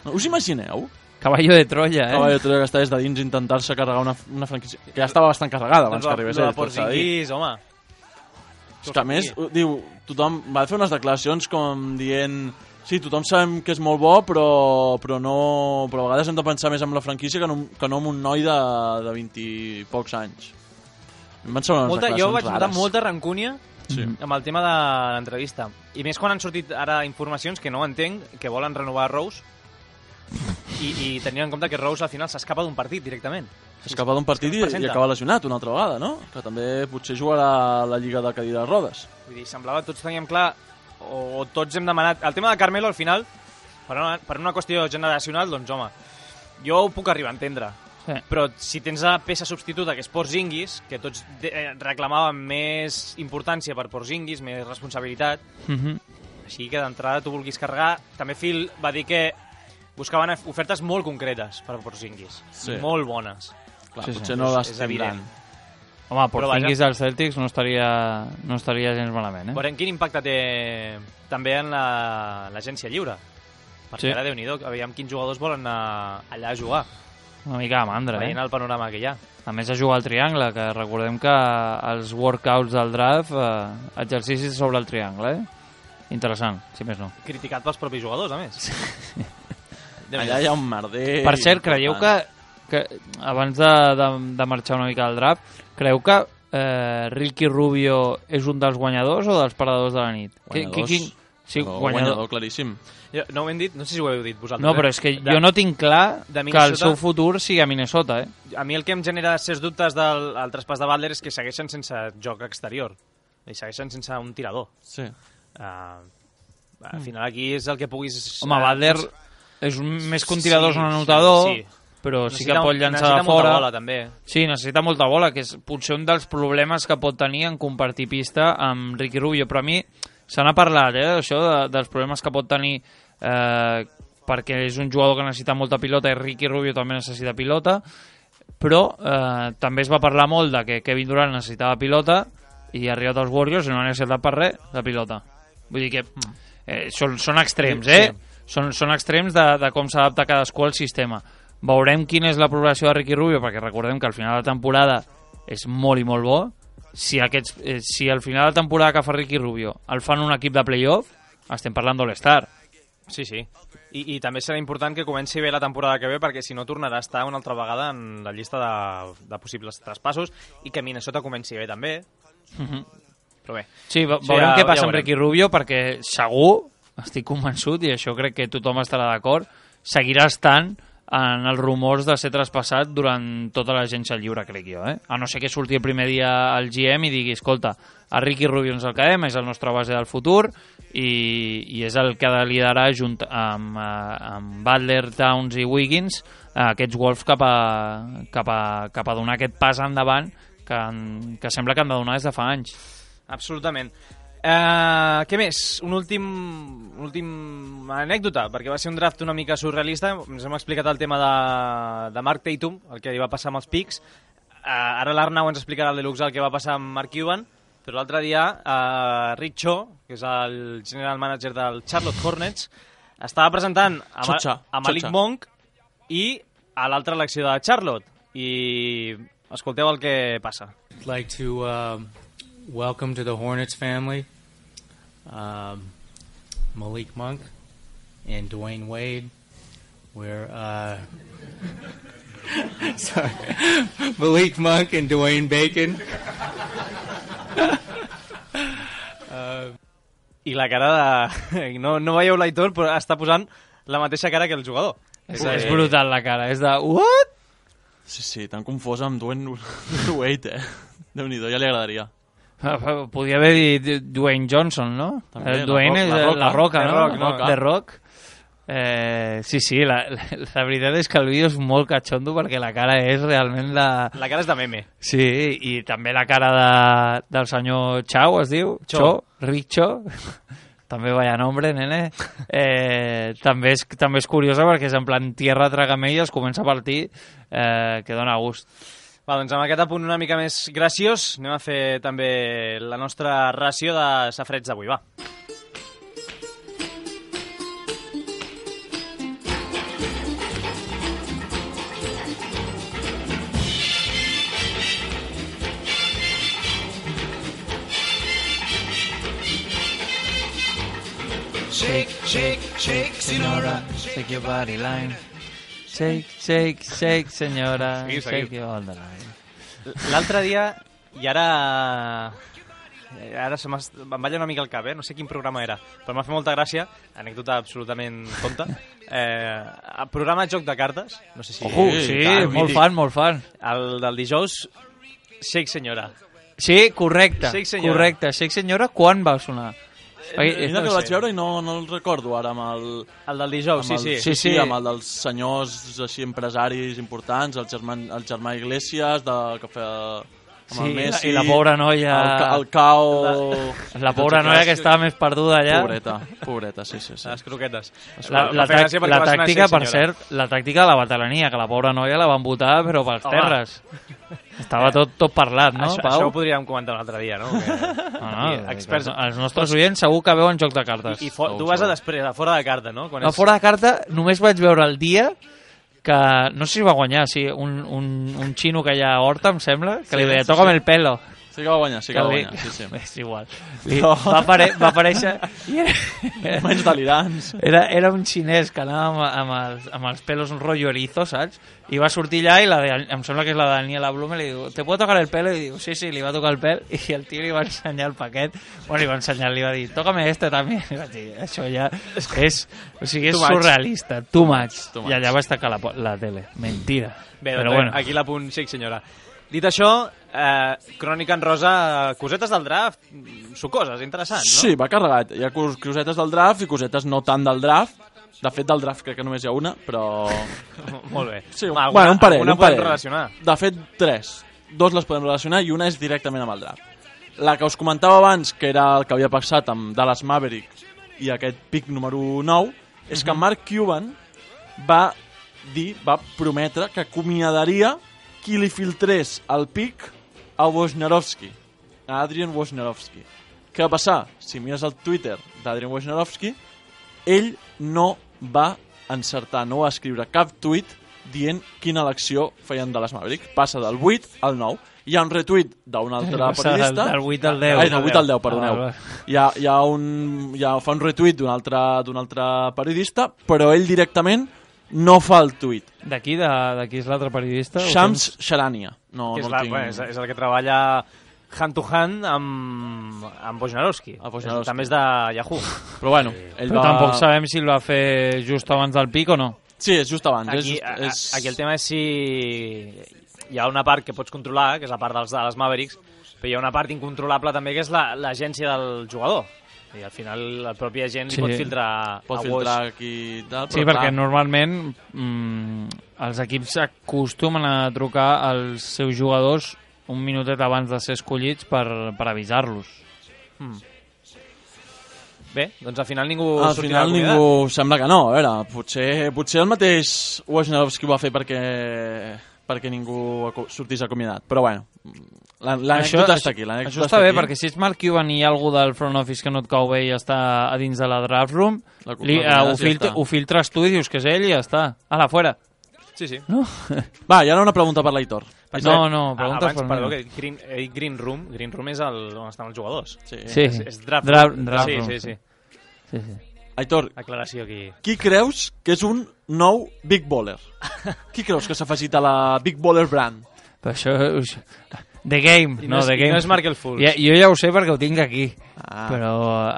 No, us imagineu? Caballo de Troya, eh? Caballo de Troya que està des de dins intentar-se carregar una, una franquícia que ja estava bastant carregada abans doncs que arribés ell. ell. Porzingis, home. És que a més, diu, tothom va fer unes declaracions com dient sí, tothom sabem que és molt bo, però, però, no, però a vegades hem de pensar més en la franquícia que no, que no en un noi de, de vint i pocs anys. Em van semblar unes molta, declaracions jo vaig notar rares. molta rancúnia sí. amb el tema de l'entrevista. I més quan han sortit ara informacions que no entenc, que volen renovar Rose i, i tenint en compte que Rose al final s'escapa d'un partit directament. S'escapa d'un partit i, i acaba lesionat una altra vegada, no? Que també potser jugarà a la Lliga de Cadires Rodes. Vull dir, semblava, tots teníem clar, o tots hem demanat... El tema de Carmelo, al final, per una, per una qüestió generacional, doncs, home, jo ho puc arribar a entendre. Sí. Però si tens la peça substituta, que és Porzingis, que tots de, eh, reclamàvem més importància per Porzingis, més responsabilitat, mm-hmm. així que d'entrada tu vulguis carregar. També Phil va dir que buscaven ofertes molt concretes per Porzingis, sí. molt bones. Clar, sí, potser sí. no és, les és tindran. Home, Porzingis dels Celtics no estaria, no estaria gens malament, eh? Veurem quin impacte té també en l'agència la, lliure. Perquè sí. Ara, Déu-n'hi-do, veiem quins jugadors volen anar allà a jugar. Una mica de mandra, veient eh? el panorama que hi ha. A més, a jugar al triangle, que recordem que els workouts del draft, eh, exercicis sobre el triangle, eh? Interessant, si més no. Criticat pels propis jugadors, a més. Allà hi ha un merder... Per cert, creieu que, que abans de, de, de marxar una mica del draft, creu que eh, Ricky Rubio és un dels guanyadors o dels perdedors de la nit? Guanyadors. Qui, qui, sí, no, guanyador. guanyador, claríssim. Jo, no ho hem dit? No sé si ho heu dit vosaltres. No, però és que de, jo no tinc clar que el seu futur sigui a Minnesota, eh? A mi el que em genera certs dubtes del el traspàs de Butler és que segueixen sense joc exterior. I segueixen sense un tirador. Sí. Uh, al final aquí és el que puguis... Home, Butler és un, més que un tirador, sí, és un anotador, sí, sí. Però sí que pot llançar de fora. Bola, també. Sí, necessita molta bola, que és potser un dels problemes que pot tenir en compartir pista amb Ricky Rubio. Però a mi se n'ha parlat, eh, això, de, dels problemes que pot tenir eh, perquè és un jugador que necessita molta pilota i Ricky Rubio també necessita pilota, però eh, també es va parlar molt de que Kevin Durant necessitava pilota i ha arribat als Warriors i no ha necessitat per res de pilota. Vull dir que eh, són, són extrems, eh? Sí. Són, són extrems de, de com s'adapta cadascú al sistema. Veurem quina és la progressió de Ricky Rubio, perquè recordem que al final de la temporada és molt i molt bo. Si, aquests, eh, si al final de la temporada que fa Ricky Rubio el fan un equip de playoff, estem parlant d'All-Star. Sí, sí. I, I també serà important que comenci bé la temporada que ve, perquè si no tornarà a estar una altra vegada en la llista de, de possibles traspassos i que Minnesota comenci bé també. Mm-hmm. Però bé. Sí, veurem sí, ja, què passa ja amb Ricky Rubio, perquè segur, estic convençut, i això crec que tothom estarà d'acord, seguirà estant en els rumors de ser traspassat durant tota l'agència lliure, crec jo, eh? A no ser que surti el primer dia al G M i digui, escolta, a Ricky Rubio ens el quedem, és el nostre base del futur i, i és el que ha de liderar junt amb, amb Butler, Towns i Wiggins aquests Wolves cap a, cap a, cap a donar aquest pas endavant que, que sembla que han de donar des de fa anys. Absolutament. Uh, què més? Un últim, un últim anècdota, perquè va ser un draft una mica surrealista. Ens hem explicat el tema de, de Mark Tatum, el que li va passar amb els Picks. Uh, ara l'Arnau ens explicarà el deluxe el que va passar amb Mark Cuban, però l'altre dia uh, Rick Cho, que és el general manager del Charlotte Hornets, estava presentant a, Ma Xocha, a Malik Xocha. Monk i a l'altra elecció de Charlotte. I escolteu el que passa. I'd like to uh, welcome to the Hornets family um, Malik Monk and Dwayne Wade. We're uh, sorry, Malik Monk and Dwayne Bacon. uh, I i la cara de... No, no veieu l'Aitor, però està posant la mateixa cara que el jugador. És, és brutal la cara, és de... What? Sí, sí, tan confosa amb Dwayne Wade, eh? Déu-n'hi-do, ja li agradaria. Podia haver dit Dwayne Johnson, no? També, el Dwayne és la, la roca, no? Rock, no? The Rock. Eh, sí, sí, la, la, la veritat és que el vídeo és molt catxondo perquè la cara és realment la... La cara és de meme. Sí, i també la cara de, del senyor Chao, es diu? Cho. Cho, Richo. També vaya nombre, nene. Eh, també, és, també és curiosa perquè és en plan tierra tragamell, es comença a partir, eh, que dona gust. Va, doncs amb aquest apunt una mica més graciós anem a fer també la nostra ració de safrets d'avui, va. Shake, shake, shake, senyora. Shake your body line. Shake, shake, shake, senyora. Seguim, seguim. Shake your all the line. L'altre dia, i ara... Ara se em balla una mica el cap, eh? No sé quin programa era, però m'ha fet molta gràcia, anècdota absolutament tonta. Eh, el programa Joc de Cartes, no sé si... Ojo, sí, tant, molt mític. fan, molt fan. El del dijous, Shake Senyora. Sí, correcte, Shake Senyora. correcte. Shake Senyora, quan va sonar? Mira no que el sé. vaig veure i no, no el recordo ara amb el... El del dijous, amb sí, el, sí. sí, sí, sí. amb el dels senyors així empresaris importants, el germà, el germà Iglesias, de, que feia... Amb Sí, el Messi, i la pobra noia... El, ca- el Cao... La, la pobra noia que estava més perduda allà. Pobreta, pobreta, sí, sí. sí. Les croquetes. La, la, Em fa tac- gràcia perquè la va sonar tàctica, Shake per Senyora. cert, la tàctica de la batalania, que la pobra noia la van votar, però pels Home. terres. Estava tot, tot parlat, no, això, Pau? això ho podríem comentar un altre dia, no? Que... No, no, Aquí, experts... Els nostres oients segur que veuen Joc de Cartes. I, i fo... tu vas a després, a fora de carta, no? Quan No, fora de carta, només vaig veure el dia que, no sé si va guanyar, sí, un, un, un xino que hi ha a Horta, em sembla, que Sí, li deia, sí, toca'm sí. el pelo. Sí que va guanyar, sí que va li- guanyar, sí, sí. És igual. Li, va, apare va aparèixer... I era, Menys delirants. era, era un xinès que anava amb, amb, els, amb els pelos un rotllo erizo, saps? I va sortir allà i la de, em sembla que és la Daniela Blume, li diu, ¿te puedo tocar el pelo? I diu, sí, sí, li va tocar el pèl i el tio li va ensenyar el paquet. Bueno, li va ensenyar, li va dir, tócame este també. I vaig dir, això ja és... O sigui, és Too much. surrealista, too much. Too I much. allà vaig tancar la, po- la tele. Mentira. Bé, Però doncs, bueno. aquí l'apunt Shake Senyora. Dit això, eh, crònica en rosa, cosetes del draft, sucoses, interessants, no? Sí, va carregat. Hi ha cos- cosetes del draft i cosetes no tant del draft. De fet, del draft crec que només hi ha una, però... Molt bé. Sí, Va, bueno, un parell, alguna un parell. podem relacionar. De fet, tres. Dos les podem relacionar i una és directament amb el draft. La que us comentava abans, que era el que havia passat amb Dallas Maverick i aquest pick número nou, és que Mark Cuban va dir, va prometre que acomiadaria qui li filtrés el pick a Wojnarowski, a Adrian Wojnarowski. Què va passar? Si mires el Twitter d'Adrian Wojnarowski, ell no va encertar, no va escriure cap tuit dient quina elecció feien de les Maverick. Passa del vuit al nou. Hi ha un retuit d'un altre Passa periodista. del- del vuit al deu. Ai, del vuit al deu, perdoneu. Ah, va. Hi ha, hi ha un, hi ha, fa un retuit d'un altre, d'un altre periodista, però ell directament no fa el tuit. D'aquí, de, d'aquí és l'altre periodista? o Shams tens? Sharania. No, Que és, no la, el tinc... bueno, és, és el que treballa hand to hand amb, amb Wojnarowski. A Wojnarowski. També és de Yahoo. Però bueno, ell Però va... tampoc sabem si el va fer just abans del pic o no. Sí, és just abans. Aquí, és, just, és... a- aquí el tema és si hi ha una part que pots controlar, que és la part dels, de les Mavericks, però hi ha una part incontrolable també, que és la- l'agència del jugador. I al final el propi agent Sí. li pot filtrar Pot a filtrar Woj. aquí i tal, Sí, però perquè clar, normalment mm, els equips acostumen a trucar als seus jugadors un minutet abans de ser escollits per, per avisar-los. Mm. Bé, doncs al final ningú al sortirà final acomiadat. ningú... Sembla que no, a veure, potser, potser el mateix Wojnarowski ho va fer perquè perquè ningú aco- sortís acomiadat, però bueno, la- l'anècdota està aquí. Això està bé, perquè si és Mark Cuban i hi ha algú del front office que no et cau bé i està a dins de la draft room, La- li, la uh, ho, acomiades i ja filtra, està. ho filtres tu i dius que és ell i ja està. Ala, fora. Sí, sí. No? Va, i ara una pregunta per l'Aitor. No, no, Ah, preguntes abans, per perdó, mi. que green, eh, green Room, Green Room és el, on estan els jugadors. Sí. Sí. És, és draft, Draft- room. draft sí, room, sí, sí. sí. Sí, sí. Aitor, Aclaració aquí. qui creus que és un nou Big Baller? Qui creus que s'ha afegit a la Big Baller brand? Però això... us- The Game. I no, no és- The i Game. no és Markel Fultz. Ja, jo ja ho sé perquè ho tinc aquí. Ah. Però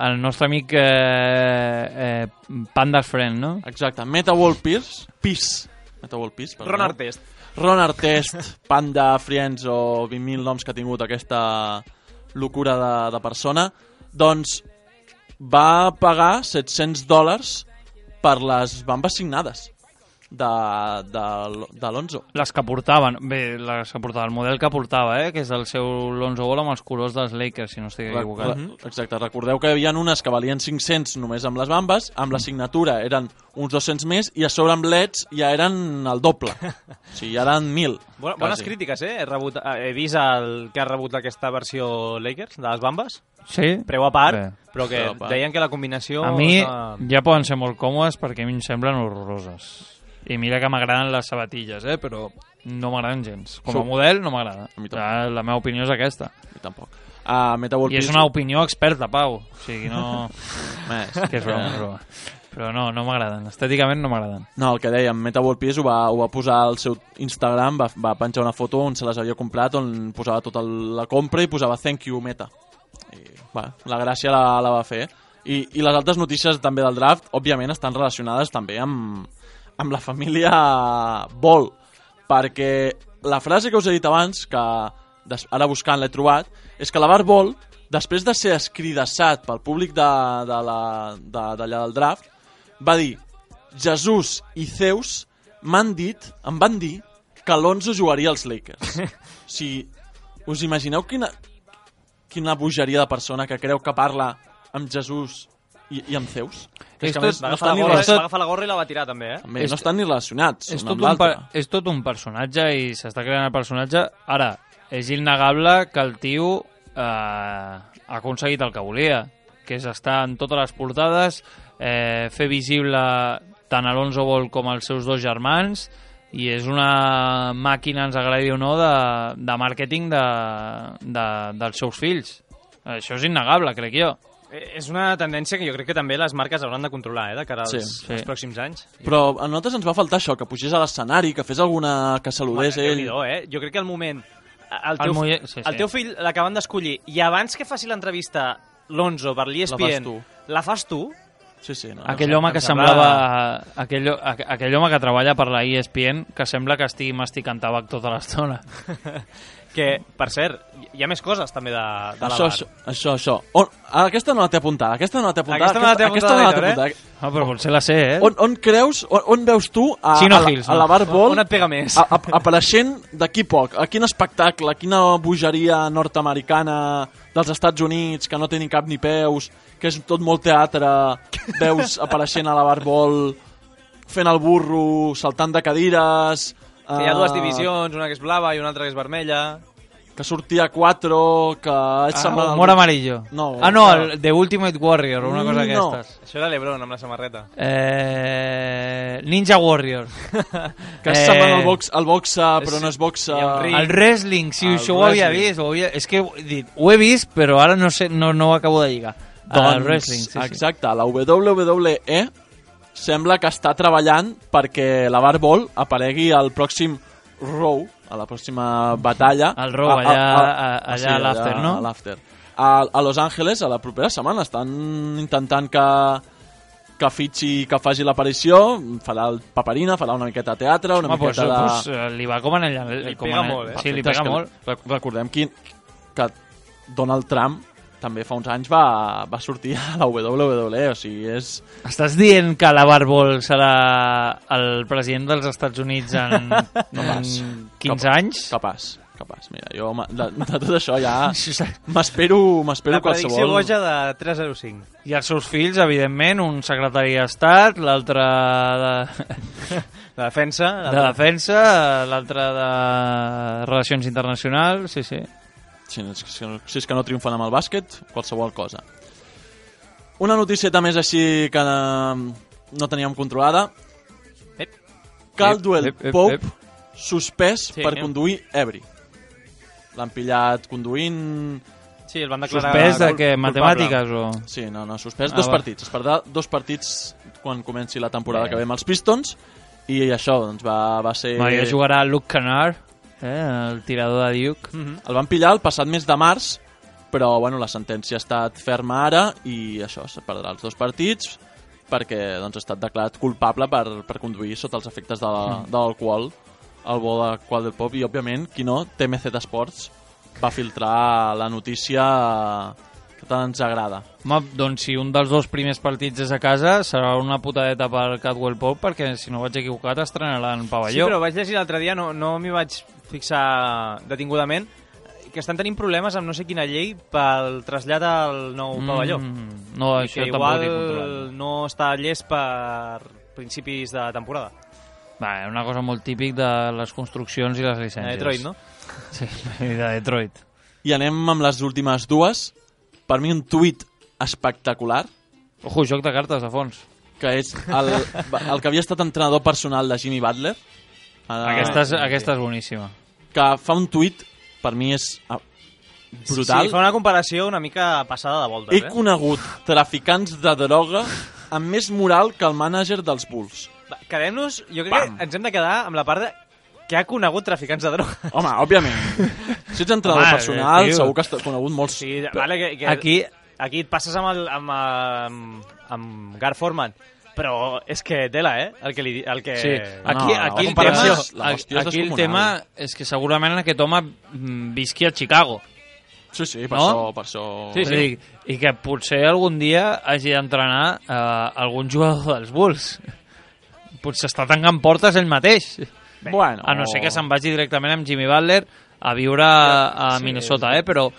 el nostre amic eh, eh, Panda's Friend, no? Exacte, Meta World Peace, Peace, Meta World Peace, perdó. Ron Artest. Ron Artest, Panda Friends o vint mil noms que ha tingut aquesta locura de, de persona, doncs va pagar set-cents dòlars per les bambes signades de, de, de Lonzo. Les que portaven, bé, les que portava, el model que portava, eh, que és el seu Lonzo Ball amb els colors dels Lakers, si no estic equivocat. Re- Exacte, recordeu que hi havia unes que valien cinc-cents només amb les bambes, amb la signatura eren uns dos-cents més i a sobre amb leds ja eren el doble. O sigui, ja eren mil. Bona, bones quasi. crítiques, eh? He, rebut, he vist el que ha rebut aquesta versió Lakers, de les bambes. Sí? Preu a part, Bé. però que Preu a part. deien que la combinació... A mi estava- ja poden ser molt còmodes perquè a mi em semblen horroroses. I mira que m'agraden les sabatilles, eh? Però no m'agraden gens. Com a Sou- model no m'agrada. A mi tampoc. Ja, la meva opinió és aquesta. I tampoc. Uh, Meta World I és Peace... una opinió experta, Pau. O sigui, no... Més. que és broma, és broma. Però no, no m'agraden. Estèticament no m'agraden. No, el que dèiem, Meta World Peace ho va, ho va posar al seu Instagram, va, va penjar una foto on se les havia comprat, on posava tota la compra i posava thank you Meta. I, bueno, la gràcia la, la va fer. I, I les altres notícies també del draft, òbviament, estan relacionades també amb, amb la família Ball, perquè la frase que us he dit abans, que des, ara buscant l'he trobat, és que la Bar Ball, després de ser escridassat pel públic d'allà de, de, de, d'allà del draft, va dir: Jesús i Zeus m'han dit, em van dir que Alonso jugaria als Lakers. O sigui, us imagineu quina, quina bogeria de persona que creu que parla amb Jesús i, i amb Zeus? Que és que a més Va no agafar, estan, la ni, gorra, relacionats, va agafar la gorra i la va tirar, també, eh? també, no estan ni relacionats És un tot, amb un per, l'altre. és tot un personatge i s'està creant el personatge. Ara, és innegable que el tio eh, ha aconseguit el que volia, que és estar en totes les portades, eh, fer visible tant Alonso Ball com els seus dos germans, i és una màquina, ens agradi o no, de, de màrqueting de, de, dels seus fills. Això és innegable, crec jo. Eh, És una tendència que jo crec que també les marques hauran de controlar, eh, de cara als, Sí, sí, sí. als pròxims anys. Però a nosaltres ens va faltar això, que pugés a l'escenari, que fes alguna... que saludés Home, ell. Déu-n'hi-do, eh? Jo crec que el moment... El El teu, muller- sí, el sí. teu fill l'acaben d'escollir i abans que faci l'entrevista l'Onzo per l'E S P La fas N, tu. la fas tu? Sí, sí. No, Aquell em home que sembla- semblava... Aquell, aqu- aquell home que treballa per la E S P N que sembla que estigui masticant tabac tota l'estona. Que, per cert, hi ha més coses també de, de la Això, bar. això, això, això. On, aquesta no la té apuntada, aquesta no la té apuntada. Aquesta no la té aquesta apuntada, no la té Héctor, apuntada. Ah, però potser la sé, eh? On, on creus, on, on veus tu a, Chino a, la, Hills, a no? la Bar Ball On et pega més? a, a, apareixent d'aquí poc? A quin espectacle, a quina bogeria nord-americana dels Estats Units que no té ni cap ni peus, que és tot molt teatre, veus apareixent a la Bar Ball fent el burro, saltant de cadires... Que hi ha dues eh, divisions, una que és blava i una altra que és vermella. que sortia a quatre, que... Ah, sembla- humor amarillo. No, ah, no, no. el The Ultimate Warrior, una cosa No. d'aquestes. Això era l'Ebron amb la samarreta. Eh, Ninja Warrior. Que eh... sembla el, box, el boxa, però no és boxa... hi ha un ring. El wrestling, sí, El això ho havia wrestling. vist. Ho havia... És que he dit, ho he vist, però ara no, sé, no, no ho acabo de lligar. Doncs, el wrestling, sí, sí. exacte, la W W E sembla que està treballant perquè la Bar Ball aparegui al pròxim Raw, a la pròxima batalla. Al Raw, allà- a- allà a l'after, no? A l'after. A, a Los Angeles, a la propera setmana, estan intentant que, que fitxi, que faci l'aparició, farà el paperina, farà una miqueta de teatre, una Home, pues, miqueta de... pues, eh, li va com en ella. Li com pega en- molt, eh? Sí, li Perfecte, pega és que molt. rec- Recordem que, que Donald Trump també fa uns anys va, va sortir a la W W E, o sigui, és... Estàs dient que la Barbol serà el president dels Estats Units en, en quinze anys? Capaç, capaç. Mira, jo ma- de, de tot això ja m'espero m'espero La predicció qualsevol... boja de tres zero cinc. I els seus fills, evidentment, un secretari d'Estat, l'altre de, De defensa. de defensa, l'altre de relacions internacionals, sí, sí. Si, és que, si és que no triomfen amb el bàsquet, qualsevol cosa. Una noticieta més així que eh, no teníem controlada. Ep. Caldwell Ep, ep, ep, Pope ep. suspès Sí, per anem. conduir ebri. L'han pillat conduint... Sí, el van declarar... Suspès de cul- què? culpable. Matemàtiques o...? Sí, no, no, suspès Ah, dos va. partits. Es perdrà dos partits quan comenci la temporada Bé. que ve amb els Pistons i això, doncs va, va ser... No, ja jugarà Luke Kennard. eh, el tirador de Duke. Mm-hmm. El van pillar el passat mes de març, però bueno, la sentència ha estat ferma ara i això, se perdrà els dos partits perquè doncs, ha estat declarat culpable per, per conduir sota els efectes de, la, Mm. de l'alcohol al bo de Qual del Pop i, òbviament, qui no, T M Z Sports va filtrar la notícia que tant ens agrada. Home, doncs si un dels dos primers partits és a casa, serà una putadeta per Caldwell Pope, perquè si no vaig equivocat estrenaran Sí, pavelló. però vaig llegir l'altre dia, no, no m'hi vaig fixar detingudament, que estan tenint problemes amb no sé quina llei pel trasllat al nou Mm, pavelló. no, I això que tampoc igual ho he controlat. no està llest per principis de temporada. Va, una cosa molt típic de les construccions i les llicències. A Detroit, no? Sí, i de Detroit. I anem amb les últimes dues. Per mi un tuit espectacular. Ojo, joc de cartes de fons. Que és el, el que havia estat entrenador personal de Jimmy Butler. Ara, Aquesta és, aquesta és boníssima. Que fa un tuit, per mi és ah, brutal. Sí, fa una comparació una mica passada de voltes, He eh? conegut traficants de droga amb més moral que el mànager dels Bulls. Va, quedem-nos, jo crec Pam. que ens hem de quedar amb la part de que ha conegut traficants de droga. Home, òbviament. Si ets entrenador Home, personal, tio. segur que has conegut molts... Sí, vale, que, que Aquí- aquí et passes amb, el, amb, amb, amb Gar Forman, però és que tela, eh? El que, li, el que... Sí, aquí, No, aquí, la el, tema, comparació, la hòstia és aquí el descomunal. tema és que segurament aquest home mm, visqui a Chicago. Sí, sí, per No? això... Per això... Sí, sí. I, I que potser algun dia hagi d'entrenar eh, algun jugador dels Bulls. Potser està tancant portes ell mateix. Bueno. A no ser que se'n vagi directament amb Jimmy Butler a viure a Sí, Minnesota, eh? Però,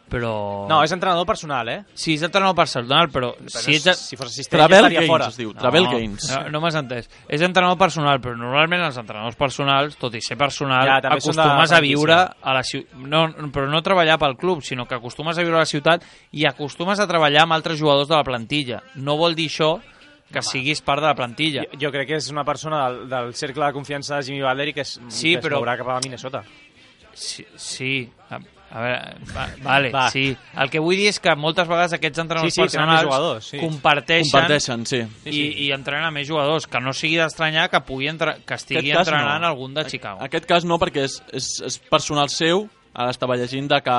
però... No, és entrenador personal, eh? Sí, és entrenador personal, però... Però si no, ets... si fos assistent Travel ja estaria Gaines fora. es diu, Travel no, Gaines. No, no m'has entès. És entrenador personal, però normalment els entrenadors personals, tot i ser personal, Ja, també són de acostumes a franquícia. viure a la ciutat. No, però no treballar pel club, sinó que acostumes a viure a la ciutat i acostumes a treballar amb altres jugadors de la plantilla. No vol dir això que siguis part de la plantilla. Jo, jo crec que és una persona del, del cercle de confiança de Jimmy Butler i que es, Sí, que es però- mourà cap a Minnesota. Sí, sí. A, a veure, va, vale, Va. sí. El que vull dir és que moltes vegades aquests entrenadors Sí, sí, tenen més personals jugadors, sí. comparteixen, Comparteixen, sí. i, i entrenen a més jugadors, que no sigui d'estranyar que pugui entre, que estigui Aquest cas entrenant no. algun de Chicago. En aquest cas no, perquè és, és, és personal seu. Ara estava llegint de que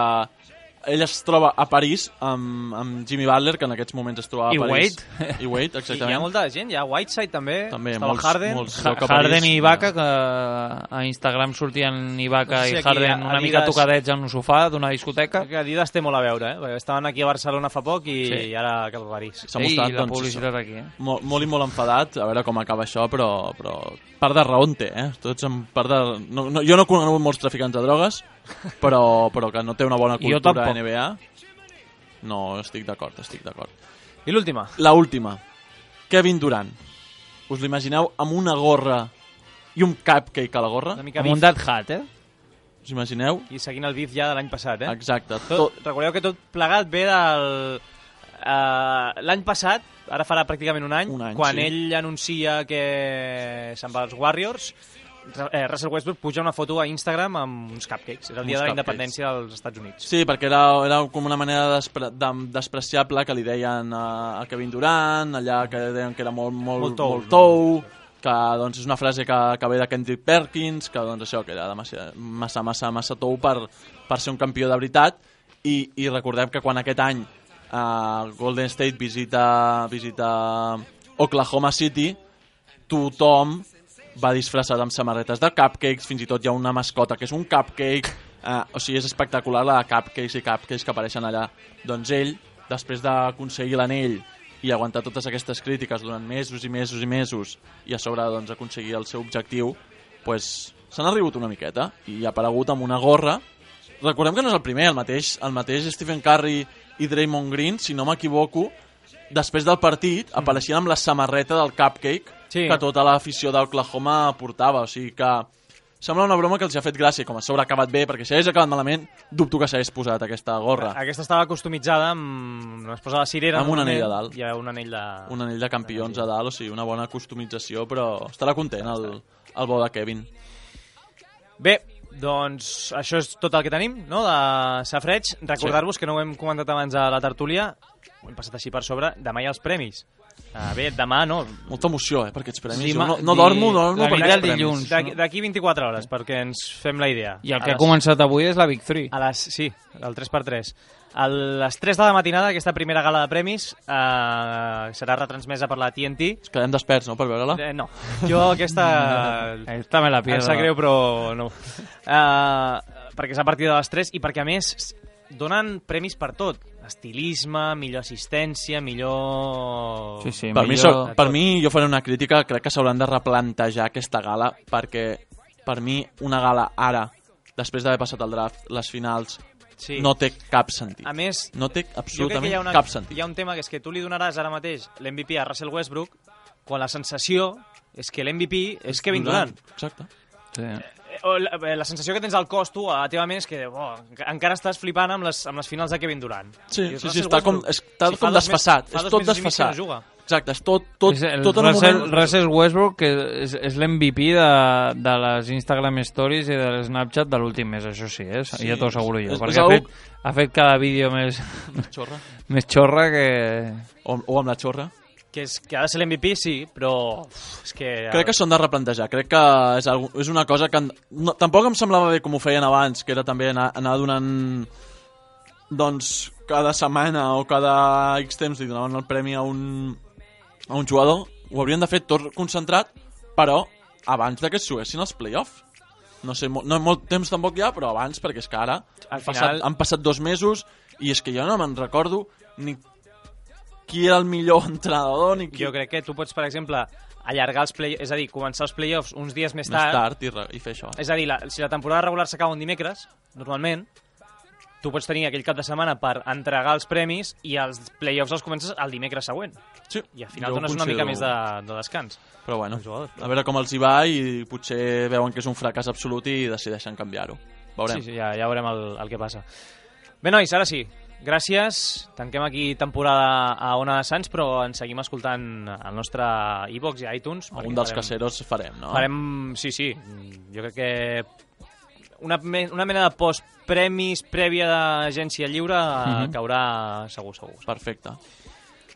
ell es troba a París amb, amb Jimmy Butler, que en aquests moments es troba a I París. Wade. I Wade, I hi ha exactament. molta gent, hi ha Whiteside també, També, estava molts- Harden. molts. Ha- Joc a París, Harden i ja. Ibaka, que a Instagram sortien Ibaka No sé si i aquí Harden a- una mica Adidas- tocadets en un sofà d'una discoteca. Crec que Adidas té molt a veure, eh? Perquè estaven aquí a Barcelona fa poc i, Sí. i ara cap a París. S'ha Ei, mostrat, la doncs, publicitat aquí, eh? Molt, molt i molt enfadat, a veure com acaba això, però, però part de raó en té, eh? Tots en part de... No, no, jo no he conegut molts traficants de drogues, però, però que no té una bona Jo cultura tampoc. N B A. No, estic d'acord, estic d'acord. I l'última? La última. Kevin Durant. Us l'imagineu amb una gorra i un cupcake a la gorra? Una mica Com un bif. dat hat, eh? Us imagineu? I seguint el bif ja de l'any passat, eh? Exacte. Tot, Tot, recordeu que tot plegat ve del... Uh, l'any passat, ara farà pràcticament un any, Un any, quan sí. ell anuncia que se'n va als Warriors, eh, Russell Westbrook puja una foto a Instagram amb uns cupcakes. Era el Uns dia de la cupcakes. independència dels Estats Units. Sí, perquè era, era com una manera despre, de, despreciable que li deien a, a Kevin Durant, allà que deien que era molt, molt, Molt tou. molt tou, que doncs, és una frase que, que ve de Kendrick Perkins, que doncs, això que era massa, massa, massa, massa tou per, per ser un campió de veritat, i, i recordem que quan aquest any uh, Golden State visita, visita Oklahoma City, tothom va disfressat amb samarretes de cupcakes, fins i tot hi ha una mascota que és un cupcake, eh, o sigui, és espectacular la de cupcakes i cupcakes que apareixen allà. Doncs ell, després d'aconseguir l'anell i aguantar totes aquestes crítiques durant mesos i mesos i mesos i a sobre doncs, aconseguir el seu objectiu, pues, s'han arribat una miqueta i ha aparegut amb una gorra. Recordem que no és el primer, el mateix, el mateix Stephen Curry i Draymond Green, si no m'equivoco, després del partit apareixien amb la samarreta del cupcake Sí. que tota l'afició d'Oklahoma portava, o sigui que sembla una broma que els ha fet gràcia, com a sobre ha acabat bé, perquè si hagués acabat malament, dubto que s'hagués posat aquesta gorra. Aquesta estava customitzada amb... Es posa la cirera Amb un anell normalment, a dalt. i hi ha un anell de... Un anell de campions a dalt, o sigui, una bona customització, però estarà content el, el bo de Kevin. Bé, doncs això és tot el que tenim, no?, de Safreig. Recordar-vos que no ho hem comentat abans a la tertúlia, ho hem passat així per sobre, demà hi ha els premis. Uh, bé, demà no. Molta emoció, eh, per aquests premis. Sí, Jo no, di- no dormo, no dormo la per nit aquests del premis. dilluns. D'aquí d'aquí vint-i-quatre hores, perquè ens fem la idea. I el A que ha les- començat avui és la Big Three. A les, sí, el tres per tres. A les tres de la matinada, aquesta primera gala de premis eh, serà retransmesa per la T N T. Ens quedem desperts, no?, per veure-la? Eh, no, jo aquesta... Esta me la Em pierdo. sap greu, però no. Uh, perquè és a partir de les tres i perquè, a més, donen premis per tot. Estilisme, millor assistència, millor... Sí, sí, Per mi, millor... so, per mi, jo faré una crítica, crec que s'hauran de replantejar aquesta gala, perquè per mi una gala ara, després d'haver passat el draft, les finals, Sí. no té cap sentit. A més, no té jo crec que absolutament hi ha, una, cap sentit. hi ha un tema que és que tu li donaràs ara mateix l'M V P a Russell Westbrook quan la sensació és que l'M V P és Kevin Durant. Exacte. Sí. O la, la sensació que tens al cos tu a la teva ment és que oh, encara estàs flipant amb les, amb les finals de Kevin Durant. Sí, I sí, Russell sí, està com, Westbrook, està sí, fa com dos mes- desfassat. fa És dos tot mesos i mig que desfassat. no juga. Exacte, és tot, tot, És el tot en un Russell, moment... Russell Westbrook, que és, és l'M V P de, de les Instagram Stories i de l'Snapchat de l'últim mes, això sí, eh? Sí, ja t'ho asseguro jo. és- és Perquè ha, algo- fet, ha fet cada vídeo més, Xorra. més xorra que... O, o amb la xorra. Que, és, que ha de ser l'M V P, sí, però uf, és que... Crec que s'han de replantejar. Crec que és, algo, és una cosa que... han- No, tampoc em semblava bé com ho feien abans, que era també anar, anar donant... Doncs cada setmana o cada X temps li donaven el premi a un, a un jugador. Ho haurien de fer tot concentrat, però abans de que es juguessin els play-offs. No sé, mo- no molt temps tampoc hi ha, però abans, perquè és que ara Al han, passat, final- han passat dos mesos i és que jo no me'n recordo ni qui era el millor entrenador ni qui... Jo crec que tu pots, per exemple, allargar els play... És a dir, començar els playoffs uns dies més Més tard. tard i, re, i fer això. És a dir, la, si la temporada regular s'acaba un dimecres, normalment, tu pots tenir aquell cap de setmana per entregar els premis i els playoffs els comences el dimecres següent. Sí, I al final jo ho dones una mica considero- més de, de descans. Però bueno, Els jugadors, però- a veure com els hi va i potser veuen que és un fracàs absolut i decideixen canviar-ho. Veurem. Sí, sí, ja, ja veurem el, el que passa. Bé, nois, ara sí. Gràcies. Tanquem aquí temporada a Ona de Sants, però ens seguim escoltant al nostre iVoox i iTunes. Algun perquè dels caseros farem, no? Farem, sí, sí. Jo crec que una, me, una mena de post-premis prèvia d'agència lliure Mhm. caurà segur, segur. Perfecte.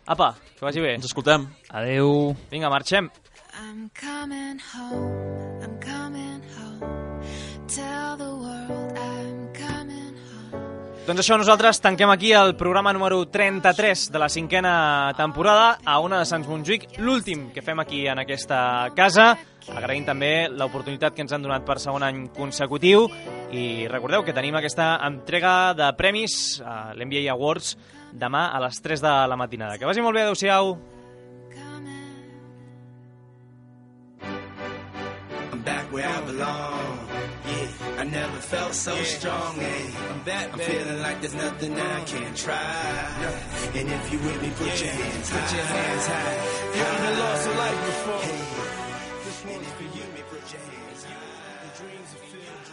Apa, que vagi bé. Ens escoltem. Adeu. Vinga, marxem. I'm coming home, I'm coming home. Tell the world I'm coming home. Doncs això, nosaltres tanquem aquí el programa número trenta-tres de la cinquena temporada a Ona de Sants Montjuïc, l'últim que fem aquí en aquesta casa. Agraïm també l'oportunitat que ens han donat per segon any consecutiu i recordeu que tenim aquesta entrega de premis a l'N B A Awards demà a les tres de la matinada. Que vagi molt bé, adeu-siau. I'm back where I belong. Yeah, I never felt so strong. Yeah, I'm back, I'm feeling like there's nothing I can't try. And if you with me, put your hands high. Put your hands high. You ain't lost a life before. This one's for you, me. Put your hands high. The dreams are filled.